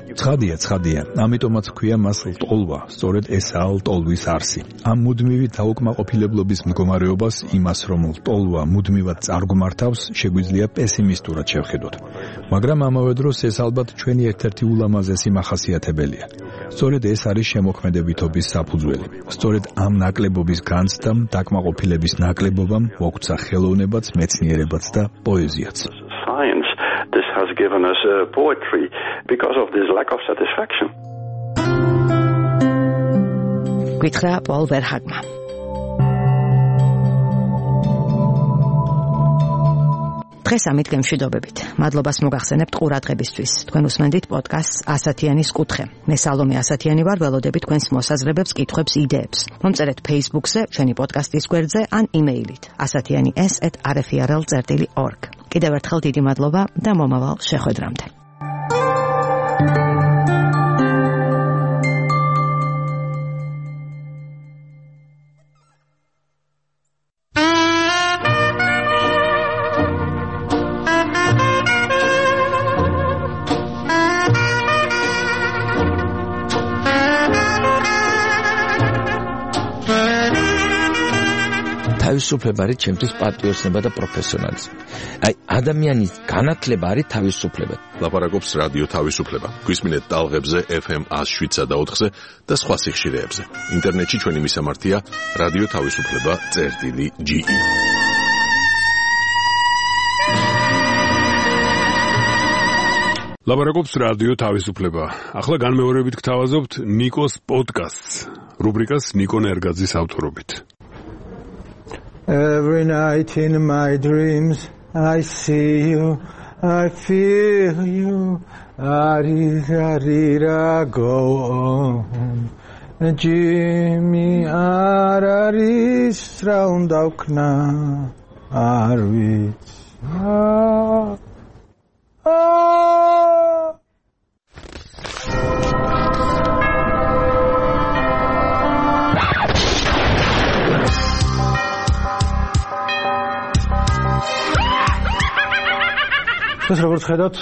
ცხადია, ამიტომაც ქვია მას ლტოლვა, სწორედ ესაა ლტოლვის არსი. ამ მუდმივი დაუკმაყოფილებლობის მდგომარეობას, იმას რომ ლტოლვა მუდმივად წარგმართავს, შეგვიძლია პესიმისტურად შევხედოთ. მაგრამ ამავე დროს ეს ალბათ ჩვენი ერთ-ერთი ულამაზესი მახასიათებელია. სწორედ ეს არის შემოქმედებითობის საფუძველი. სწორედ ამ ნაკლებობის განცდამ, დაკმაყოფილების ნაკლებობამ მოგვცა ხელოვნებაც, მეცნიერებაც და პოეზიაც.
Science, this has given us poetry because of this lack of satisfaction.
გითხრა პოლ ვერჰაგმა. დღეს ამით გემშვიდობებით. მადლობას მოგახსენებთ ყურადღებისთვის. თქვენ უსმენდით პოდკასტს ასათიანის კუთხე. მე სალომე ასათიანი ვარ, ველოდებით თქვენს მოსაზრებებს, კითხვებს, იდეებს. მომწერეთ Facebook-ზე, ჩვენი პოდკასტის გვერდზე ან იმეილით asatiani@rfrl.org. კიდევ ერთხელ დიდი მადლობა და მომავალ შეხვედრამდე.
თავისუფლება არის ჩემთვის პატრიოტიზმი და პროფესიონალიზმი. აი, ადამიანის განათლება არის თავისუფლება.
ლაპარაკობს რადიო თავისუფლება. გვისმინეთ ტალღებზე FM 107.4-ზე და სხვა სიხშირეებზე. ინტერნეტში ჩვენი მისამართია რადიო თავისუფლება.ge. ლაპარაკობს რადიო თავისუფლება. ახლა განმეორებით გთავაზობთ ნიკოს პოდკასტს, რუბრიკას ნიკო ნერგაძის ავტორობით.
Every night in my dreams I see you, I feel you, Arira go on. Jimmy Araris round aukna Arwitz. ეს როგორც ხედავთ,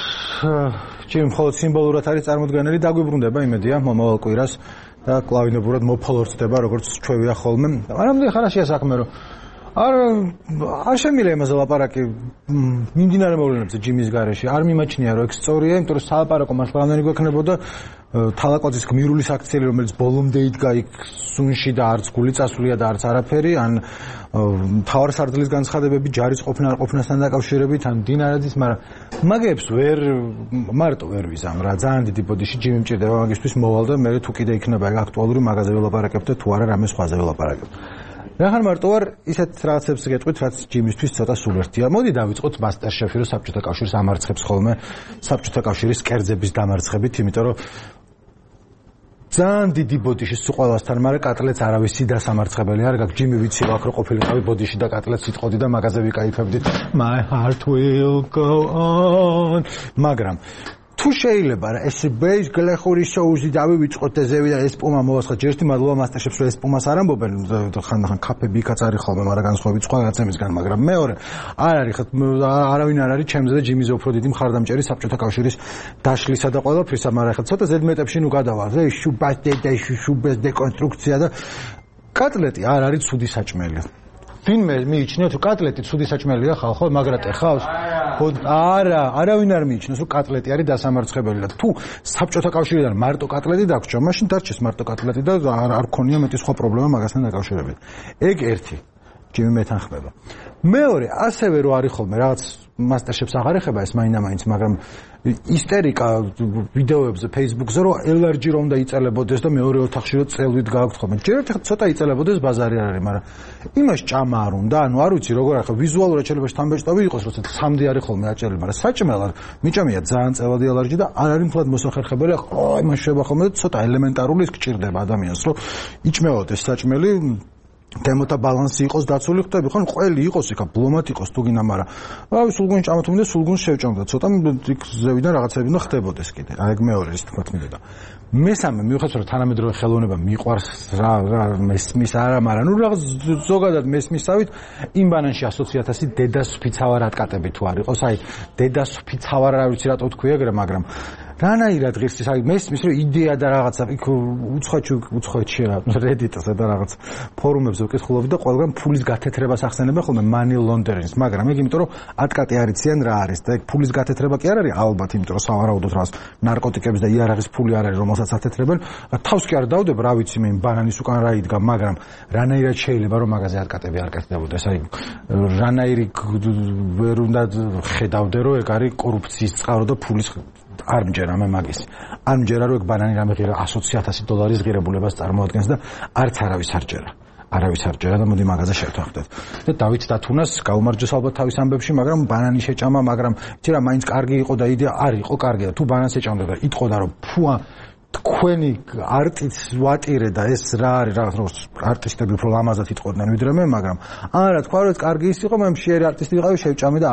ჩემ მხოლოდ სიმბოლურად არის წარმოდგენილი, დაგვიბრუნდება იმედია მომავალ კვირას და კლავინებურად მოფოლორდება, როგორც ჩვევია ხოლმე. მაგრამ ხარაშია საქმე, რომ არ შემიძლია იმაზე ლაპარაკი მიმდინარე მოვლენებზე ჯიმის გარეშე არ მიმაჩნია რომ ეგ სწორია, იმიტომ რომ სალაპარაკო მართლა რამდენი გვექნებოდა თალაკოძის გმირულის აქციელი, რომელიც ბოლომდე იდგა იქ სუნში და არც გული წასვლია და არც არაფერი, ან მთავარსარდლის განცხადებები ჯარის ყოფნასთან დაკავშირებით, ან დინარაძის, მაგრამ მაგებს მარტო ვერ ვიზამ რა, ძალიან დიდი ბოდიში ჯიმი მჭირდება მაგისთვის მოვალ და მე თუ კიდე იქნება ეგ აქტუალური მაგაზე ველაპარაკებ და თუ არა რამე სხვაზე ველაპარაკებ. რახან მარტო ვარ ისეთ რაღაცებს გეტყვით, რაც ჯიმისთვის ცოტა სულერთია. მოდი დავიწყოთ მასტერშეფი, რომ საბჭოთა კავშირს ამარცხებს ხოლმე საბჭოთა კავშირის კერძების დამარცხებით, იმიტომ რომ ძალიან დიდი ბოდიში სულ ყველასთან, მაგრამ კატლეტს არავისი დასამარცხებელი არ გაქვს. ჯიმი ვიცი ვაკ რო ყოფილიყავი ბოდიში და კატლეტს იტყოდი და მაგაზე ვიკაიფებდით. My heart will go on. მაგრამ თუ შეიძლება რა ეს ბეის გლეხური შოუზი დავივიწყოთ და ზევიდან ეს პუმა მოვასხოთ. ჯერტი მადლობა მასტერშეფს რომ ეს პუმას არ ამბობენ, ხანდახან კაფები იქაც არის ხოლმე, მაგრამ განსხვავებით სხვა რაღაცებისგან, მაგრამ მეორე არ არის არავინ არ არის ჩემზე და ჯიმიზე უფრო დიდი მხარდამჭერი საბჭოთა კავშირის დაშლისა და ყველაფრისა, მაგრამ ხა ცოტა ზედმეტებში ნუ გადავალ რა, შუბეს დეკონსტრუქცია და კატლეტი არ არის ცუდი საჭმელი. ვინმე მიიჩნევთ რომ კატლეტი ცუდი საჭმელია ხალხო, მაგრატე ხავს? არავინ არ მიიჩნევს რომ კატლეტი არის დასამარცხებელი და თუ საბჭოთა კავშირიდან მარტო კატლეტი დაგვრჩა, მაშინ დარჩეს მარტო კატლეტი და არ ქონია მეტი სხვა პრობლემა მაგასთან დაკავშირებით. ეგ ერთი ჯიმი მეთანხმება. მეორე, ასევე რო არის ხოლმე რაღაც მასტერშეფს აღარ ეხება ეს მაინდა-მაინც, მაგრამ ისტერიკა ვიდეოებზე Facebook-ზე რომ ელარჯი რომ უნდა იწელებოდეს და მეორე ოთახში რომ წელვით გააქვთ ხოლმე. ჯერ ერთ ცოტა იწელებოდეს ბაზარი არ არის, მაგრამ იმას ჭამა არ უნდა, ანუ არ ვიცი როგორ ახლა ვიზუალურად შეიძლება შთამბეჭდავი იყოს, როცა სამდი არის ხოლმე აჭერილი, მაგრამ საჭმელად მიჭამია ძალიან წელადი ელარჯი და არ არის მთლად მოსახერხებელი, აი იმას შეიძლება ხოლმე და ცოტა ელემენტარული ის გჭირდება ადამიანს, რომ იჭმევოდეს საჭმელი თემოთა ბალანსი იყოს დაცული, ხვდები ხო? ყველი იყოს იქა, ბლომად იყოს თუ გინდა, მაგრამ აი სულგუნს ჭამათუმდა, სულგუნს შევჭამდა. ცოტა იქ ზევიდან რაღაცები უნდა ხდებოდეს კიდე. აი ეგ მეორე ის თქვა მიდოდა. მესამე, მიუხედავად რომ თანამედროვე ხელოვნება მიყვარს რა მესმის არა, მაგრამ ნუ რაღაც ზოგადად მესმისავით იმ ბანანში 100.000 დედასუფიცავარ ატკატები თუ არ იყოს, აი დედასუფიცავარ არ ვიცი რატო თქვია ეგრე, მაგრამ რანაირად ღირს ის აი მესმის რომ იდეა და რაღაცა იქ უცხოეთში რა Reddit-ზე და რაღაც ფორუმებზე ვკითხულობდი და ყველგან ფულის გათეთრებას ახსენებენ ხოლმე money laundering-ს, მაგრამ ეგ იმიტომ რომ ატკატი არიციან რა არის და ეგ ფულის გათეთრება კი არ არის ალბათ, იმიტომ რომ სავარაუდოდ რაღაც ნარკოტიკების და იარაღის ფული არ არის რომელსაც ათეთრებენ. თავს კი არ დავდებ რა ვიცი მე ბანანის უკან რა იდგა, მაგრამ რანაირად შეიძლება რომ მაგაზე ატკატები არ კეთდებოდეს, აი რანაირი ვერ უნდა ხედავდე რომ ეგ არის კორუფციის წყარო და ფულის არ მჯერა მე მაგის. არ მჯერა რომ ეგ ბანანი რამე ღირა 100.000 ღირებულებას წარმოადგენს და არც არავის არ ჯერა. არავის არ ჯერა და მოდი მაგაზე შევთანხმდეთ. და დავით დათუნას გაუმარჯოს ალბათ თავის ამბებში, მაგრამ ბანანი შეჭამა, მაგრამ იცი რა მაინც კარგი იყო და იდეა არ იყო კარგი და თუ ბანანს ეჭამდა და იტყოდა რომ ფუა თქვენი არტის ვატირე და ეს რა არის რაღაც არტისტები უფრო ლამაზად იტყოდნენ ვიდრე მე, მაგრამ არა თქვა რომ კარგი ის იყო, მე მშიერი არტისტი ვიყავი, შევჭამე და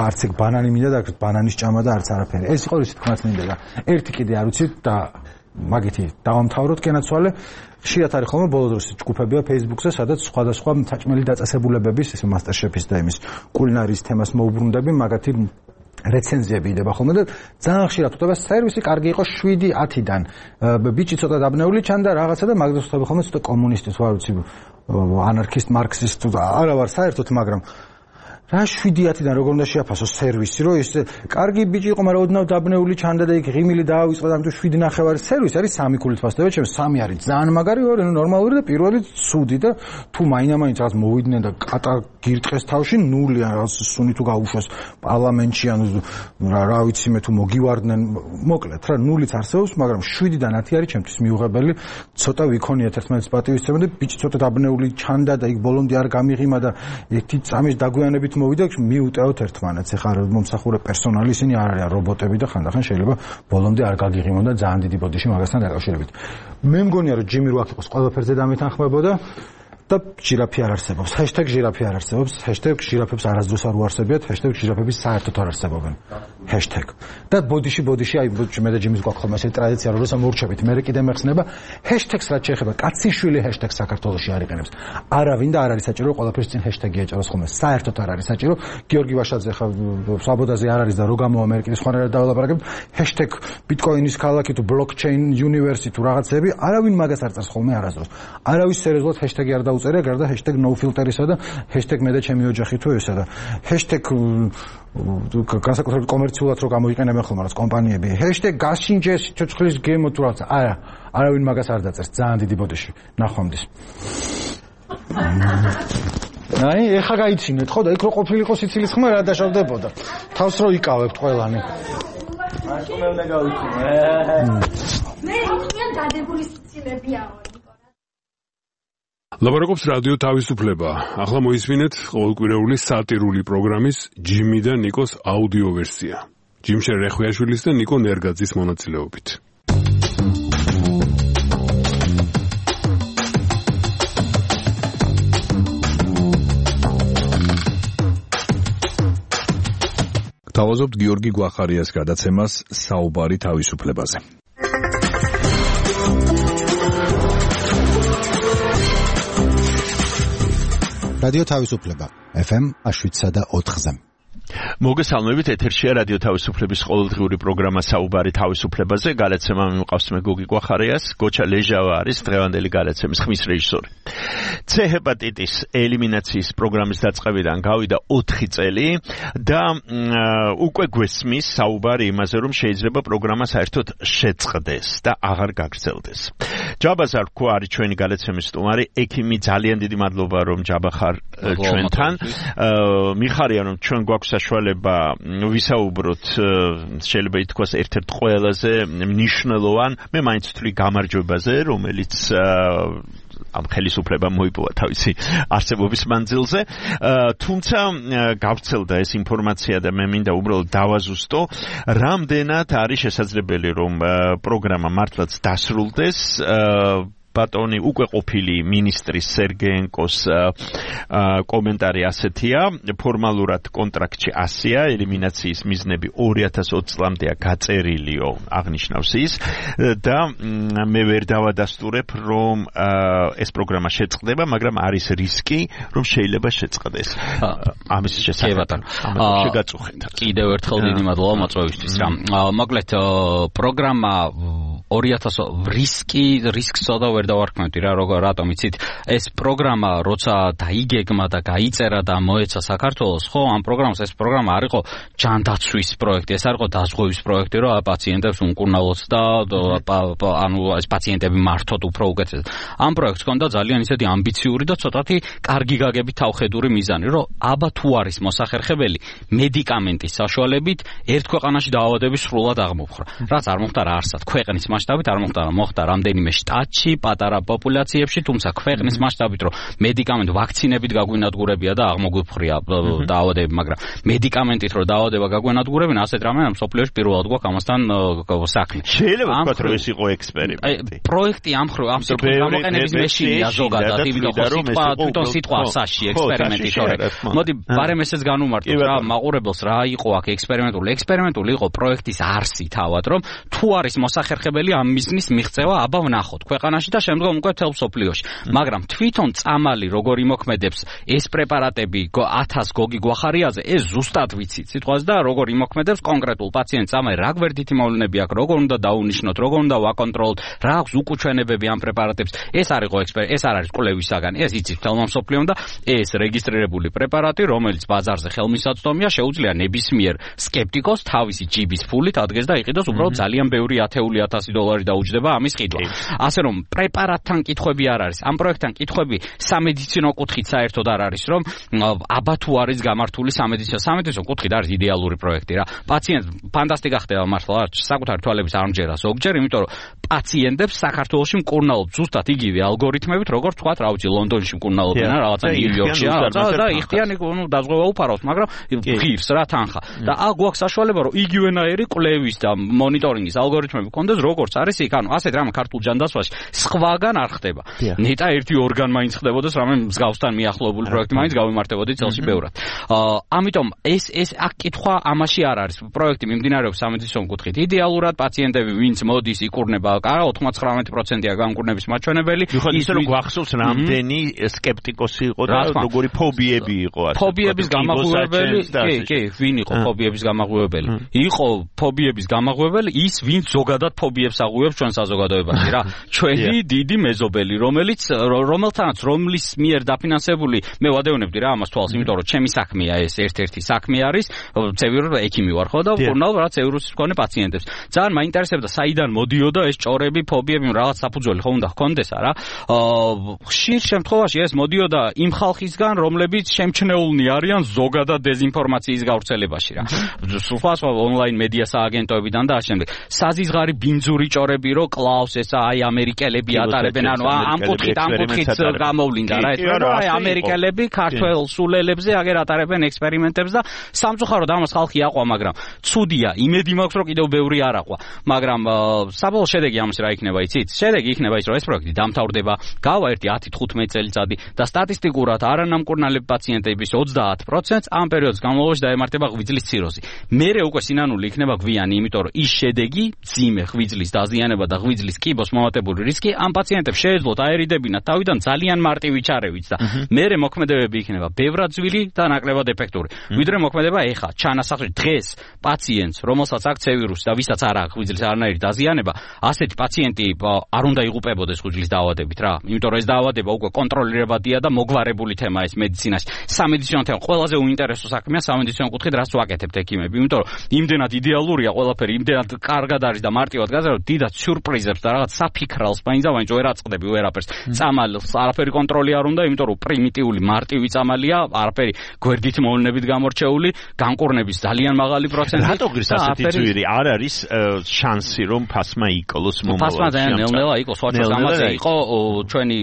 არც ეგ ბანანი მინდა და ბანანის ჭამა და არც არაფერი. ეს იყო ისე თქმაც მინდა და ერთი კიდე არ ვიცი და მაგითი დავამთავროთ კენაცვალე. ხშირად არის ხოლმე ბოლო დროს ჯგუფებია Facebook-ზე, სადაც სხვადასხვა საჭმელი დაწესებულებების, ეს მასტერშეფის და იმის კულინარიის თემას მოუბრუნდები, მაგათი რეცენზიები იდება ხოლმე და ძალიან ხშირად ხვდება სერვისი კარგი იყო 7-10-დან. ბიჭი ცოტა დაბნეული ჩანდა რაღაცა და მაგას ხვდება ხოლმე ცოტა კომუნისტის, ვარ ვიცი, ანარქისტ, მარქსისტ და არა ვარ საერთოდ, მაგრამ რა 7-10-დან როგორ უნდა შეაფასოს სერვისი, რომ ეს კარგი ბიჭი იყო, მაგრამ ოდნავ დაბნეული ჩანდა და იქ ღიმილი დაავიწყდა და ამიტომ 7.5 სერვისი არის 3 ქულით ფასდება, ჩემს 3 არის ძალიან მაგარი, ორი ნორმალური და პირველი ცუდი და თუ მაინდა-მაინც რაღაც მოვიდნენ და კატა გირტყეს თავში 0 რაღაც სუნი თუ გაუშვეს პარლამენტში ან რა ვიცი მე თუ მოგივარდნენ, მოკლედ რა 0-იც არსებობს, მაგრამ 7-დან 10 არის ჩემთვის მიუღებელი. ცოტა ვიქონიათ ერთმანეთის პატივისცემა და ბიჭი ცოტა დაბნეული ჩანდა და იქ ბოლომდე არ გამიღიმა და ერთი წამის დაგვიანებით მოვიდა, მიუტევოთ ერთმანეთს. ეხლა მომსახურე პერსონალი ისინი არ არიან რობოტები და ხანდახან შეიძლება ბოლომდე არ გაგიღიმონ და ძალიან დიდი ბოდიში მაგასთან დაკავშირებით. მე მგონია რომ ჯიმი როაქ იყოს ყველაფერზე დამეთანხმებოდა და ჟირაფი არ არსებობს. #ჟირაფი არ არსებობს. #ჟირაფებს არასდროს არ უარსებიათ. #ჟირაფების საერთოდ არ არსებობენ. და ბოდიში აი მე და ჯიმის გვაქვს ხოლმე ესეთი ტრადიცია, რომ როცა მორჩებით, მე კიდე მეხსნება #-ს რაც შეეხება კაციშვილი #-ს საქართველოში არიყენებს. არავინ და არ არის საჭირო ყველაფერს წინ #-ი ეჭეროს ხოლმე. საერთოდ არ არის საჭირო. გიორგი ვაშაძე ხა საბოდაზე არ არის და რო გამოვა მე კიდე სხვანაირად დაველაპარაკებ. #ბიტკოინის ქალაქი თუ blockchain universe თუ რაღაცები, არავინ მაგას არ წერს ხოლმე არასდროს. არავის სერიოზულად #-ი არ დაუწყია დაუწერია გარდა #nofilter-ისა და #მე და ჩემი ოჯახი თუ ესა და განსაკუთრებით კომერციულად რო გამოიყენებენ ხოლმე რაც კომპანიები #გაშინჯეს ცოცხლის გემო თუ რაღაც არავინ მაგას არ დაწერს ძალიან დიდი ბოდიში ნახვამდის აი ეხა გაიცინეთ ხო და იქ რო ყოფილიყო სიცილის ხმა რა დაშავდებოდა თავს რო იკავებთ ყველანი აი მე უნდა გავიცინე
მე იქნებ დადებული სიცილებიაო
ლაპარაკობს რადიო თავისუფლება. ახლა მოისმინეთ ყოველკვირეული სატირული პროგრამის ჯიმი და ნიკოს აუდიო ვერსია. ჯიმშენ რეხვიაშვილის და ნიკო ნერგაძის მონაწილეობით.
გთავაზობთ გიორგი გვახარიას გადაცემას საუბარი თავისუფლებაზე.
რადიო თავისუფლება FM 7.4-ზე.
მოგესალმებით, ეთერშია რადიო თავისუფლების ყოველდღიური პროგრამა საუბარი თავისუფლებაზე. გადაცემა მიმყავს მე გოგი გვახარიას, გოჩა ლეჟავა არის დღევანდელი გადაცემის ხმის რეჟისორი. C ჰეპატიტის ელიმინაციის პროგრამის დაწყებიდან გავიდა 4 წელი და უკვე გვესმის საუბარი იმაზე, რომ შეიძლება პროგრამა საერთოდ შეწყდეს და აღარ გაგრძელდეს. ჯაბას არ ვქვა არის ჩვენი გადაცემის სტუმარი, ექიმი, ძალიან დიდი მადლობა რომ ჯაბა ხარ ჩვენთან. მიხარია რომ ჩვენ გვაქვს საშუალება ვისაუბროთ შეიძლება ითქვას ერთ-ერთ ყველაზე მნიშვნელოვან მე მაინც ვთვლი გამარჯვებაზე რომელიც ამ ხელისუფლებამ მოიპოვა თავისი არსებობის მანძილზე თუმცა გავრცელდა ეს ინფორმაცია და მე მინდა უბრალოდ დავაზუსტო რამდენად არის შესაძლებელი რომ პროგრამა მართლაც დასრულდეს ბატონი უკვე ყოფილი მინისტრის სერგეენკოს კომენტარი ასეთია ფორმალურად კონტრაქტში 100-ია ელიმინაციის მიზნები 2020 წლამდეა გაწერილიო აღნიშნავს ის და მე ვერ დავადასტურებ რომ ეს პროგრამა შეწყდება მაგრამ არის რისკი რომ შეიძლება შეწყდეს ამის შესახებ შეგაწუხეთ
კიდევ ერთხელ დიდი მადლობა მოწვევისთვის რა მოკლედ პროგრამა 2000 რისკს და ვერ დავარქმევდი რა რატომ იცით ეს პროგრამა როცა დაიგეგმა და გაიწერა და მოეცა საქართველოს ხო ამ პროგრამას ეს პროგრამა არ იყო ჯანდაცვის პროექტი ეს არ იყო დაზღვევის პროექტი რომ პაციენტებს უმკურნალოთ და ანუ ეს პაციენტები მართოთ უფრო უკეთესად ამ პროექტს ჰქონდა ძალიან ისეთი ამბიციური და ცოტათი კარგი გაგებით თავხედური მიზანი რომ აბა თუ არის მოსახერხებელი მედიკამენტის საშუალებით ერთ ქვეყანაში დაავადების სრულად აღმოფხვრა რაც არ მოხდა რა არსად ქვეყნის მასშტაბით არ მოხდა რამდენიმე შტატში პატარა პოპულაციებში თუმცა ქვეყნის მასშტაბით რომ მედიკამენტ ვაქცინებით გაგვინადგურებია და აღმოგვიფხრია დაავადებები მაგრამ მედიკამენტით რომ დაავადება გაგვინადგურებინა ასეთ რამე ამ სოფლიოში პირველად გვაქვს ამასთან საქმე
შეიძლება ვთქვათ რომ ეს იყო ექსპერიმენტი
პროექტი ამ გამოყენების მეშინია ზოგადად თვითონ სიტყვა ასაში ექსპერიმენტი თორე მოდი ბარემ ესეც განუმარტოთ რა მაყურებელს რა იყო აქ ექსპერიმენტული იყო პროექტის არსი თავად რომ თუ არის მოსახერხებელი ამ მიზნის მიღწევა აბა ვნახოთ ქვეყანაში და შემდგომ უკვე თელ სოფლიოში მაგრამ თვითონ წამალი როგორ იმოქმედებს ეს პრეპარატები 1000 გოგი გვახარიაზე ეს ზუსტად ვიცით სიტყვას და როგორ იმოქმედებს კონკრეტულ პაციენტს წამალი რა გვერდითი მოვლენები აქვს როგორ უნდა დაუნიშნოთ როგორ უნდა ვაკონტროლოთ რა აქვს უკუჩვენებები ამ პრეპარატებს ეს არ იყო ეს არ არის კვლევის საგანი ეს იცით თელმა სოფლიომ და ეს რეგისტრირებული პრეპარატი რომელიც ბაზარზე ხელმისაწვდომია შეუძლია ნებისმიერ სკეპტიკოს თავისი ჯიბის ფულით ადგეს და იყიდოს უბრალოდ ძალიან ბევრი $10,000 დაუჯდება ამის ყიდვა ასე რომ პრეპარატთან კითხვები არ არის ამ პროექტთან კითხვები სამედიცინო კუთხით საერთოდ არ არის რომ აბა თუ არის გამართული სამედიცინო კუთხით არის იდეალური პროექტი რა პაციენტს ფანტასტიკა ხდება მართლა საკუთარი თვალების არ მჯერა ზოგჯერ იმიტომ რომ პაციენტებს საქართველოში მკურნალობთ ზუსტად იგივე ალგორითმებით როგორც თქვა რა ვიცი ლონდონში მკურნალობენ რა რაღაცა ნიუ-იორკში და იხდიანი დაზღვევა უფარავს მაგრამ ღირს რა თანხა და აქ გვაქვს საშუალება რომ იგივენაირი კვლევის და მონიტორინგის ალგორითმები გქონდეს როგორც არის იქ ანუ ასეთ რამე ქართულ ჯანდაცვაში სხვაგან არ ხდება ნეტა ერთი ორგან მაინც ხდებოდეს რამე მსგავსთან მიახლოებული პროექტი მაინც გავიმართებოდი წელში ბევრად ამიტომ ეს აქ კითხვა ამაში არ არის პროექტი მიმდინარეობს სამედიცინო კუთხით იდეალურად პაციენტები ვინც მოდის იკურნება არა 99%-ია განკურნების მაჩვენებელი
ის რომ გვახსოვს რამდენი სკეპტიკოსი იყო და როგორი ფობიები იყო ასე
ფობიების გამაღვივებელი ვინ იყო ფობიების გამაღვივებელი იყო ფობიების გამაღვივებელი ის ვინც ზოგადად ფობიებს პაციენტებს აღუევს ჩვენ საზოგადოებაში რა. ჩვენი დიდი მეზობელი, რომლის მიერ დაფინანსებული მე ვადევნებდი რა ამას თვალს, იმიტომ რომ ჩემი საქმეა ეს ერთ-ერთი საქმე არის, ცევიურ ექიმი ვარ ხო და ვკურნალ რა ცევილის მქონე პაციენტებს. ძალიან მაინტერესებდა საიდან მოდიოდა ეს ჭორები, ფობიები, რაღაც საფუძველი ხო უნდა ჰქონდეს არა. ხშირ შემთხვევაში ეს მოდიოდა იმ ხალხისგან, რომლებიც შემჩნეულნი არიან ზოგადად დეზინფორმაციის გავრცელებაში რა. სხვა ონლაინ მედია სააგენტოებიდან და ამავდროულად საზიზღარი ბინძური ჭორები რო კლავს ესა აი ამერიკელები ატარებენ, ანუ ამ კუთხით გამოვლინდა რა ეს რა აი ამერიკელები ქართველ სულელებზე აგერ ატარებენ ექსპერიმენტებს და სამწუხაროდ ამას ხალხი აყვა, მაგრამ ცუდია, იმედი მაქვს რომ კიდევ ბევრი არ აყვა, მაგრამ საბოლოო შედეგი ამის რა იქნება იცით? შედეგი იქნება ის რომ ეს პროექტი დამთავრდება, გავა ერთი 10-15 წელიწადი და სტატისტიკურად არანამკურნალები პაციენტების 30% ამ პერიოდის განმავლობაში დაემართება ღვიძლის ციროზი. მერე უკვე სინანული იქნება გვიანი, იმიტომ რომ ის შედეგი, ძიმე ღვიძლის დაზიანება და ღვიძლის კიბოს მომატებული რისკი ამ პაციენტებს შეეძლოთ აერიდებინათ თავიდან ძალიან მარტივი ჩარევით და მერე მოქმედებები იქნება ბევრად ძვილი და ნაკლებად ეფექტური. ვიდრე მოქმედება ეხა ჩანასახში დღეს პაციენტს, რომელსაც აქვს ვირუსი და ვისაც არ აქვს ღვიძლის არანაირი დაზიანება, ასეთი პაციენტი არ უნდა იღუპებოდეს ღვიძლის დაავადებით რა. იმიტომ რომ ეს დაავადება უკვე კონტროლირებადია და მოგვარებული თემა ეს მედიცინაში. სამედიცინო თემა ყველაზე უინტერესო საქმეა სამედიცინო კუთხით, რაც ვაკეთებთ ექიმები, იმიტომ რომ იმდენად იდეალურია ყველაფერი, იმდენად კარგად არის და მარტივად გაზარდა, დიდად სიურპრიზებს და რაღაც საფიქრალს მაინც ვერ აწყდები ვერაფერს. წამალს არაფერი კონტროლი არ უნდა, იმიტომ რომ პრიმიტიული მარტივი წამალია, არაფერი გვერდით მოვლენებით გამორჩეული, განკურნების ძალიან მაღალი პროცენტი.
რატო გრის ასეთი ძვირი არ არის შანსი რომ ფასმა იკლოს მომავალში?
ფასმა ძალიან ნელ-ნელა იყო, სხვათა გამაზე იყო ჩვენი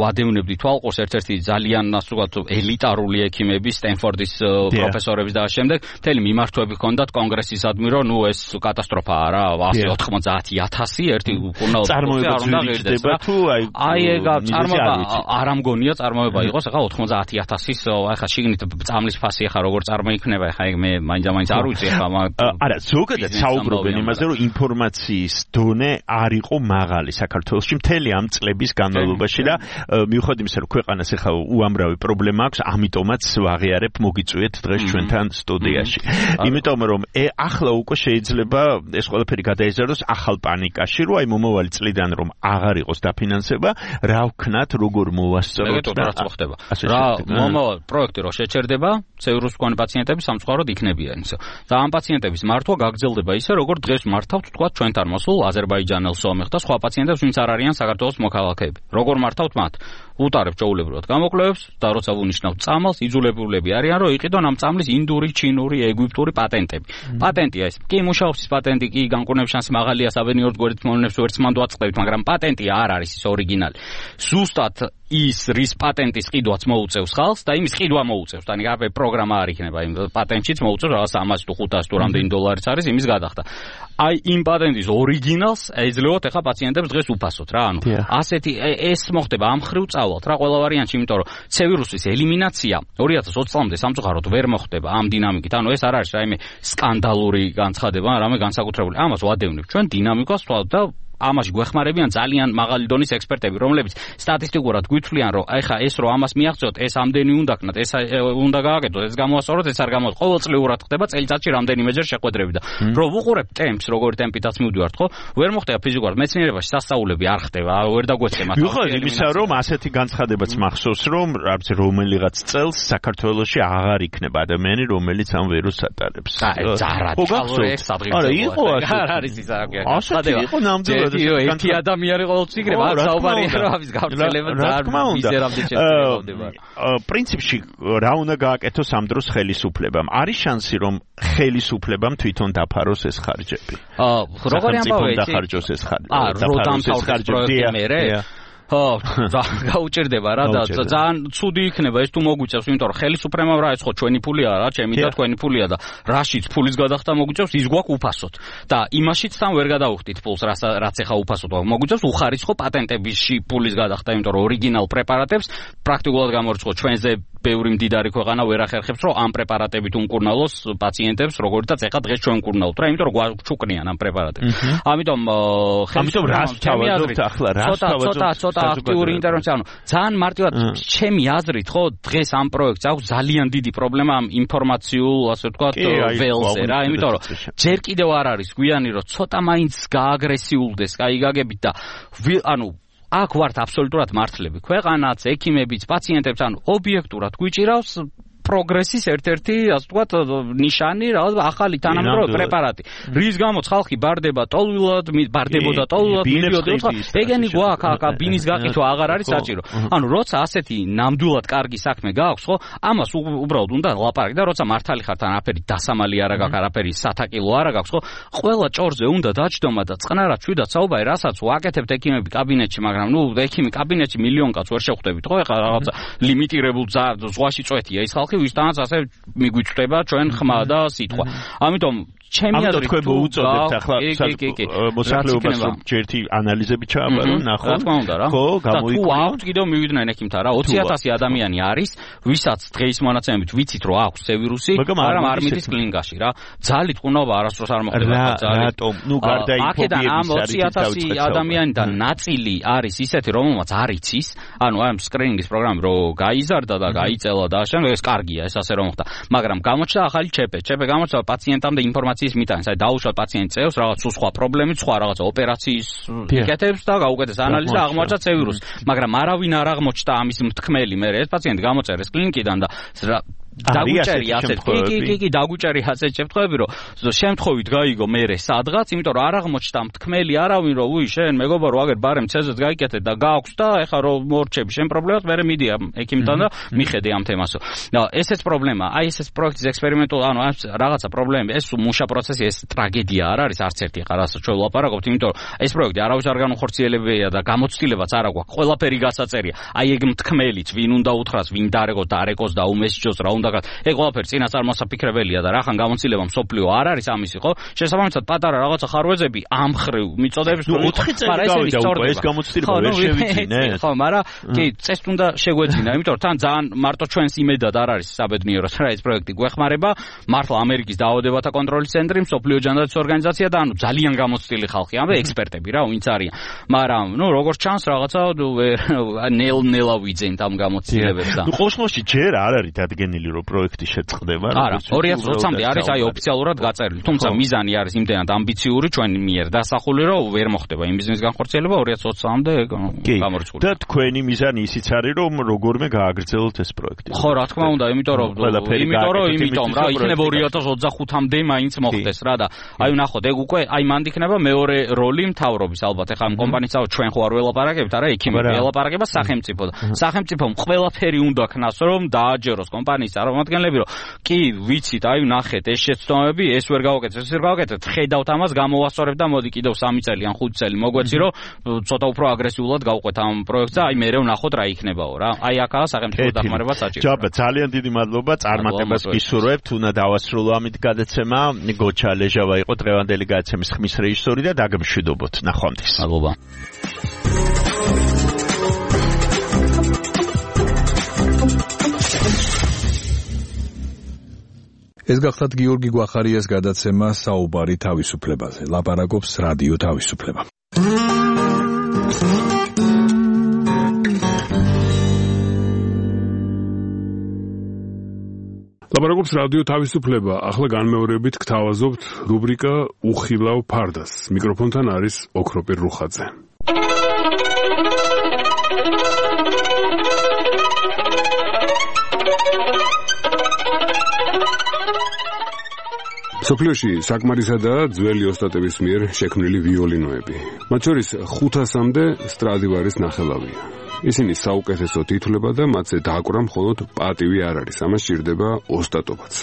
ვადევნებდი თვალყურს ერთ-ერთი ძალიან ასე ვთქვათ ელიტარული ექიმების, სტენფორდის პროფესორების და შემდეგ მთელი მიმართვები ჰქონდათ კონგრესისადმი, რომ ნუ ეს კატასტროფაა რა, 190,000 ერთი კურნალ
წარმოება ძვირდება თუ
აი ეგა წარმოება არ ამგონია წარმოება იყოს, ახლა 90,000-ის ახლა შიგნით წამლის ფასი ახლა როგორ წარმოიქმნება, ახლა მე მაინც არ ვიცი ახლა
არა, ზოგადად საუბრობენ იმაზე, რომ ინფორმაციის დონე არ იყო მაღალი საქართველოში მთელი ამ წლების განმავლობაში და მიუხედავად იმისა, რომ ქვეყანას ახლა უამრავი პრობლემა აქვს, ამიტომაც ვაღიარებ მოგიწვიეთ დღეს ჩვენთან სტუდიაში. იმიტომ რომ ახლა უკვე შეიძლება ეს ყველაფერი გადაიზარდოს ახალ პანიკაში, რომ აი მომავალი წლიდან რომ აღარ იყოს დაფინანსება, რა ვქნათ, როგორ მოვასწროთ
და რაც მოხდება. რა მომავალ პროექტი რო შეჩერდება, ცევილის მქონე პაციენტები სამწუხაროდ იქნებიან ისე. და ამ პაციენტების მართვა გაგრძელდება ისე, როგორ დღეს მართავთ თქვა ჩვენთან მოსულ აზერბაიჯანელ სომეხ და სხვა პაციენტებს, ვინც არ არიან საქართველოს მოქალაქეები. როგორ მართავთ მათ? უტარებთ ჩაულებრივად გამოკვლევებს და როცა ვუნიშნავთ წამალს, იძულებულები არიან, რომ იყიდონ ამ წამლის ინდური, ჩინური, ეგვიპტური პატენტები. პატენტია ეს. კი მუშაობს პატენტი, კი განკურნების შანსი მაღალია, საბედნიეროდ გვერდით მოვლენებს ვერც მანდ ვაწყდებით, მაგრამ პატენტი არ არის ის ორიგინალი. ზუსტად ის რის პატენტის ყიდვაც მოუწევს ხალხს და იმის ყიდვა მოუწევს. და ნიგავე პროგრამა არ იქნება იმ პატენტშიც მოუწევს რაღაც 100 თუ 500 თუ რამდენი დოლარიც არის იმის გადახდა. აი იმ პატენტის ორიგინალს ეძლებოთ ახლა პაციენტებს დღეს უფასოდ რა. ანუ ასეთი ეს მოხდება ამ ხრივ წავალთ რა ყველა ვარიანტში, იმიტომ რომ C ვირუსის ელიმინაცია 2020 წლამდე სამწუხაროდ ვერ მოხდება ამ დინამიკით. ანუ ეს არ არის რაიმე სკანდალური განცხადება, რამე განსაკუთრებული. ამას ვადევნებ ჩვენ დინამიკას და ამაში გვეხმარებიან ძალიან მაღალი დონის ექსპერტები, რომლებიც სტატისტიკურად გვითვლიან, რომ ეხა ეს რომ ამას მიაღწიოთ, ეს ამდენი უნდა ქნათ, ეს უნდა გააკეთოთ, ეს გამოასწოროთ, ეს არ გამოასწოროთ. ყოველწლიურად ხდება წელიწადში რამდენიმეჯერ შეხვედრები და რო ვუყურებთ ტემპს, როგორი ტემპითაც მივდივართ, ხო? ვერ მოხდება ფიზიკურად მეცნიერებაში სასწაულები არ ხდება, ვერ დაგვეცემა.
მიუხედავად იმისა, რომ ასეთი განცხადებაც მახსოვს, რომ რომელიღაც წელს საქართველოში აღარ იქნება ადამიანი, რომელიც ამ ვირუსს ატარებს.
ხო გახსოვთ? არა, იყო არ არის ის
ასეთი იყო ნამდვილად
ერთი ადამიანი ყოველთვის იქნება, საუბარია რომ ამის გავრცელება ძალიან მიზერამდე შედგება.
პრინციპში რა უნდა გააკეთოს ამ დროს ხელისუფლებამ? არის შანსი რომ ხელისუფლებამ თვითონ დაფაროს ეს ხარჯები?
როგორი ამბავია?
დახარჯოს ეს
ხარჯები. გაუჭირდება რა და ძალიან ცუდი იქნება ეს თუ მოგვიწევს, იმიტომ რომ ხელისუფლებამ რა ეს ხო ჩვენი ფულია რა, ჩემი და თქვენი ფულია და რაშიც ფულის გადახდა მოგვიწევს, ის გვაქვს უფასოდ. და იმაშიც თან ვერ გადავხდით ფულს, რაც ეხა უფასოდ მოგვიწევს, უხარისხო პატენტებიში ფულის გადახდა, იმიტომ რომ ორიგინალ პრეპარატებს პრაქტიკულად გამორიცხო ჩვენზე ბევრი მდიდარი ქვეყანა ვერ ახერხებს, რომ ამ პრეპარატებით უმკურნალოს პაციენტებს, როგორიცაც ეხა დღეს ჩვენ ვკურნალობთ რა, იმიტომ რომ გვაჩუკნიან ამ პრეპარატებს. ამიტომ
რას თავაზობთ ახლა, რას თავაზობთ?
ცოტა აქტიური ინტერვენცია, ანუ ძალიან მარტივად ჩემი აზრით, ხო, დღეს ამ პროექტს აქვს ძალიან დიდი პრობლემა ამ ინფორმაციულ, ასე ვთქვათ, ველზე რა, იმიტომ რომ ჯერ კიდევ არ არის გვიანი, რომ ცოტა მაინც გააგრესიულდეს, კაი გაგებით და ანუ აქ ვართ აბსოლუტურად მართლები. ქვეყანაც, ექიმებიც, პაციენტებს, ანუ ობიექტურად გვიჭირავს პროგრესის ერთ-ერთი, ასე ვთქვათ, ნიშანი, რაღაც ახალი თანამედროვე პრეპარატი. რის გამოც ხალხი ბარდებოდა ტოლვილად, მიდიოდა, ეგენი გვაქვს, ბინის გაყიდვა აღარ არის საჭირო. ანუ როცა ასეთი ნამდვილად კარგი საქმე გააქვს, ხო, ამას უბრალოდ უნდა ლაპარაკი და როცა მართალი ხართ, არაფერი დასამალი არ გაქვს, არაფერი სათაკილო არ გაქვს, ხო, ყველა ჭორზე უნდა დაჯდომა და წყნარად შვიდად საუბარი, რასაც ვაკეთებთ ექიმები კაბინეტში, მაგრამ ექიმი კაბინეტში მილიონ კაცს ვერ შეხვდებით, ხო, ეხლა რაღაცა ლიმიტირებულ ზღვაში წვეთია ის ხალხი, ვისთანაც ასე მიგვიჭდება ჩვენ ხმა და სიტყვა. ამიტომ ჩემი აზრით
თქვენ მოუწოდებთ ახლა მოსახლეობას ჯერთი ანალიზები ჩააბარონ, ნახო. ხო, გამოიკვლიო.
თუ აქვთ კიდევ მივიდნენ ექიმთან რა, 20,000 ადამიანი არის, ვისაც დღეის მონაცემებით ვიცით რომ აქვს C ვირუსი, მაგრამ არ მიდის კლინიკაში რა. ძალით ყუნობა არასდროს არ მოხდება ძალით.
რატომ? ნუ გარდაიფობიების
ამ 20,000 ადამიანიდან ნაწილი არის ისეთი, რომელმაც არ იცის, ანუ ამ სკრინინგის პროგრამი რო გაიზარდა და გაიწელა და შემდეგ ეს კარგია, ეს ასე რომ ხდა. მაგრამ გამოჩნდა ახალი ჩეპე გამოჩნდა პაციენტამდე ინფორმაციის მიტანს, აი დაუშვათ პაციენტს წევს რაღაც სხვა პრობლემით, სხვა რაღაცა ოპერაციის პიკეტებს და გაუკეთეს ანალიზი და აღმოაჩნდა C ვირუსი. მაგრამ არავინ არ აღმოჩნდა ამის მთქმელი, მე ეს პაციენტი გამოწერეს კლინიკიდან და დაგვიჭერი ასეთ კი დაგვიჭერი ასეთ შემთხვევები რომ შემთხვევით გაიგო მერე სადღაც იმიტომ რომ არ აღმოჩნდა მთქმელი არავინ რომ უი შენ მეგობარო აგერ ბარემ ცეზეც გაიკეთე და გააქვს და ეხა რომ მორჩები შენ პრობლემას მერე მიდი ექიმთან და მიხედე ამ თემასო და ესეც პრობლემა აი ესეც პროექტის ექსპერიმენტულ ანუ რაღაცა პრობლემები ეს მუშა პროცესი ეს ტრაგედია არ არის არც ერთი ხარ ასე ჩვენ ვლაპარაკობთ იმიტომ რომ ეს პროექტი არავის არ განუხორციელებია და გამოცდილებაც არ აქვს ყველაფერი გასაწერია აი ეგ მთქმელიც ვინ უნდა უთხრას ვინ დარეკოს და უმესჯოს რა უნდა ეგ ყველაფერი წინასწარ მოსაფიქრებელია და რახან გამოცდილება მსოფლიო არ არის ამისი ხო შესაბამისად პატარა რაღაცა ხარვეზები ამ ხრივ მიწოდებს
რომ 4 წელი გავიდა უკვე ეს გამოცდილება ვერ შევიძინე
ხო მაგრამ კი წესთ უნდა შეგვეძინა იმიტომ რომ თან ძალიან მარტო ჩვენს იმედად არ არის საბედნიეროს რა ეს პროექტი გვეხმარება მართლა ამერიკის დაავადებათა კონტროლის ცენტრი მსოფლიო ჯანდაცვის ორგანიზაცია და ანუ ძალიან გამოცდილი ხალხი ამბე ექსპერტები რა ვინც არიან მაგრამ ნუ როგორც ჩანს რაღაცა ნელა ვიძენთ ამ გამოცდილებებს და
ნუ ყოშმოში ჯერ არ არის დადგენილი რომ პროექტი შეწყდება
არა 2020-მდე არის აი ოფიციალურად გაწერილი თუმცა მიზანი არის იმდენად ამბიციური ჩვენი მიერ დასახული რომ ვერ მოხდება იმ ბიზნესის განხორციელება 2020-მდე გამორიცხული
და თქვენი მიზანი ისიც არის რომ როგორმე გააგრძელოთ ეს პროექტი
ხო რა თქმა უნდა იმიტომ რა იქნება 2025-მდე მაინც მოხდეს რა და აი ნახოთ ეგ უკვე აი მანდ იქნება მეორე როლი მთავრობის ალბათ ეხლა ამ კომპანიისაო ჩვენ ხო არ ველაპარაკებთ არა ექიმები ველაპარაკება სახელმწიფომ ყველაფერი უნდა ქნას რომ დააჯეროს კომპანიის წარმომადგენლები რომ კი ვიცით აი ნახეთ ეს შეცდომები ეს ვერ გავაკეთეთ ხედავთ ამას გამოვასწორებ და მოდი კიდევ 3 წელი ან 5 წელი მოგვეცი რომ ცოტა უფრო აგრესიულად გავყვეთ ამ პროექტს და აი მე ვნახოთ რა იქნებაო რა აი აქაა სახელმწიფო დახმარება საჭირო
ჯაბა ძალიან დიდი მადლობა წარმატებას გისურვებთ უნდა დავასრულო ამით გადაცემა გოჩა ლეჟავა იყო დღევანდელი გადაცემის ხმის რეჟისორი და დაგმშვიდობოთ ნახვამდის
მადლობა
ეს გახლავთ გიორგი გვახარიას გადაცემა საუბარი თავისუფლებაზე. ლაპარაკობს რადიო თავისუფლება.
ლაპარაკობს რადიო თავისუფლება. ახლა განმეორებით გთავაზობთ რუბრიკა უხილავ ფარდას. მიკროფონთან არის ოქროპირ რუხაძე. სოფლიოში საკმარისადაა ძველი ოსტატების მიერ შექმნილი ვიოლინოები. მათ შორის 500-მდე სტრადივარის ნახელავია. ისინი საუკეთესოდ ითვლება და მათზე დაკვრა მხოლოდ პატივი არ არის. ამას სჭირდება ოსტატობაც.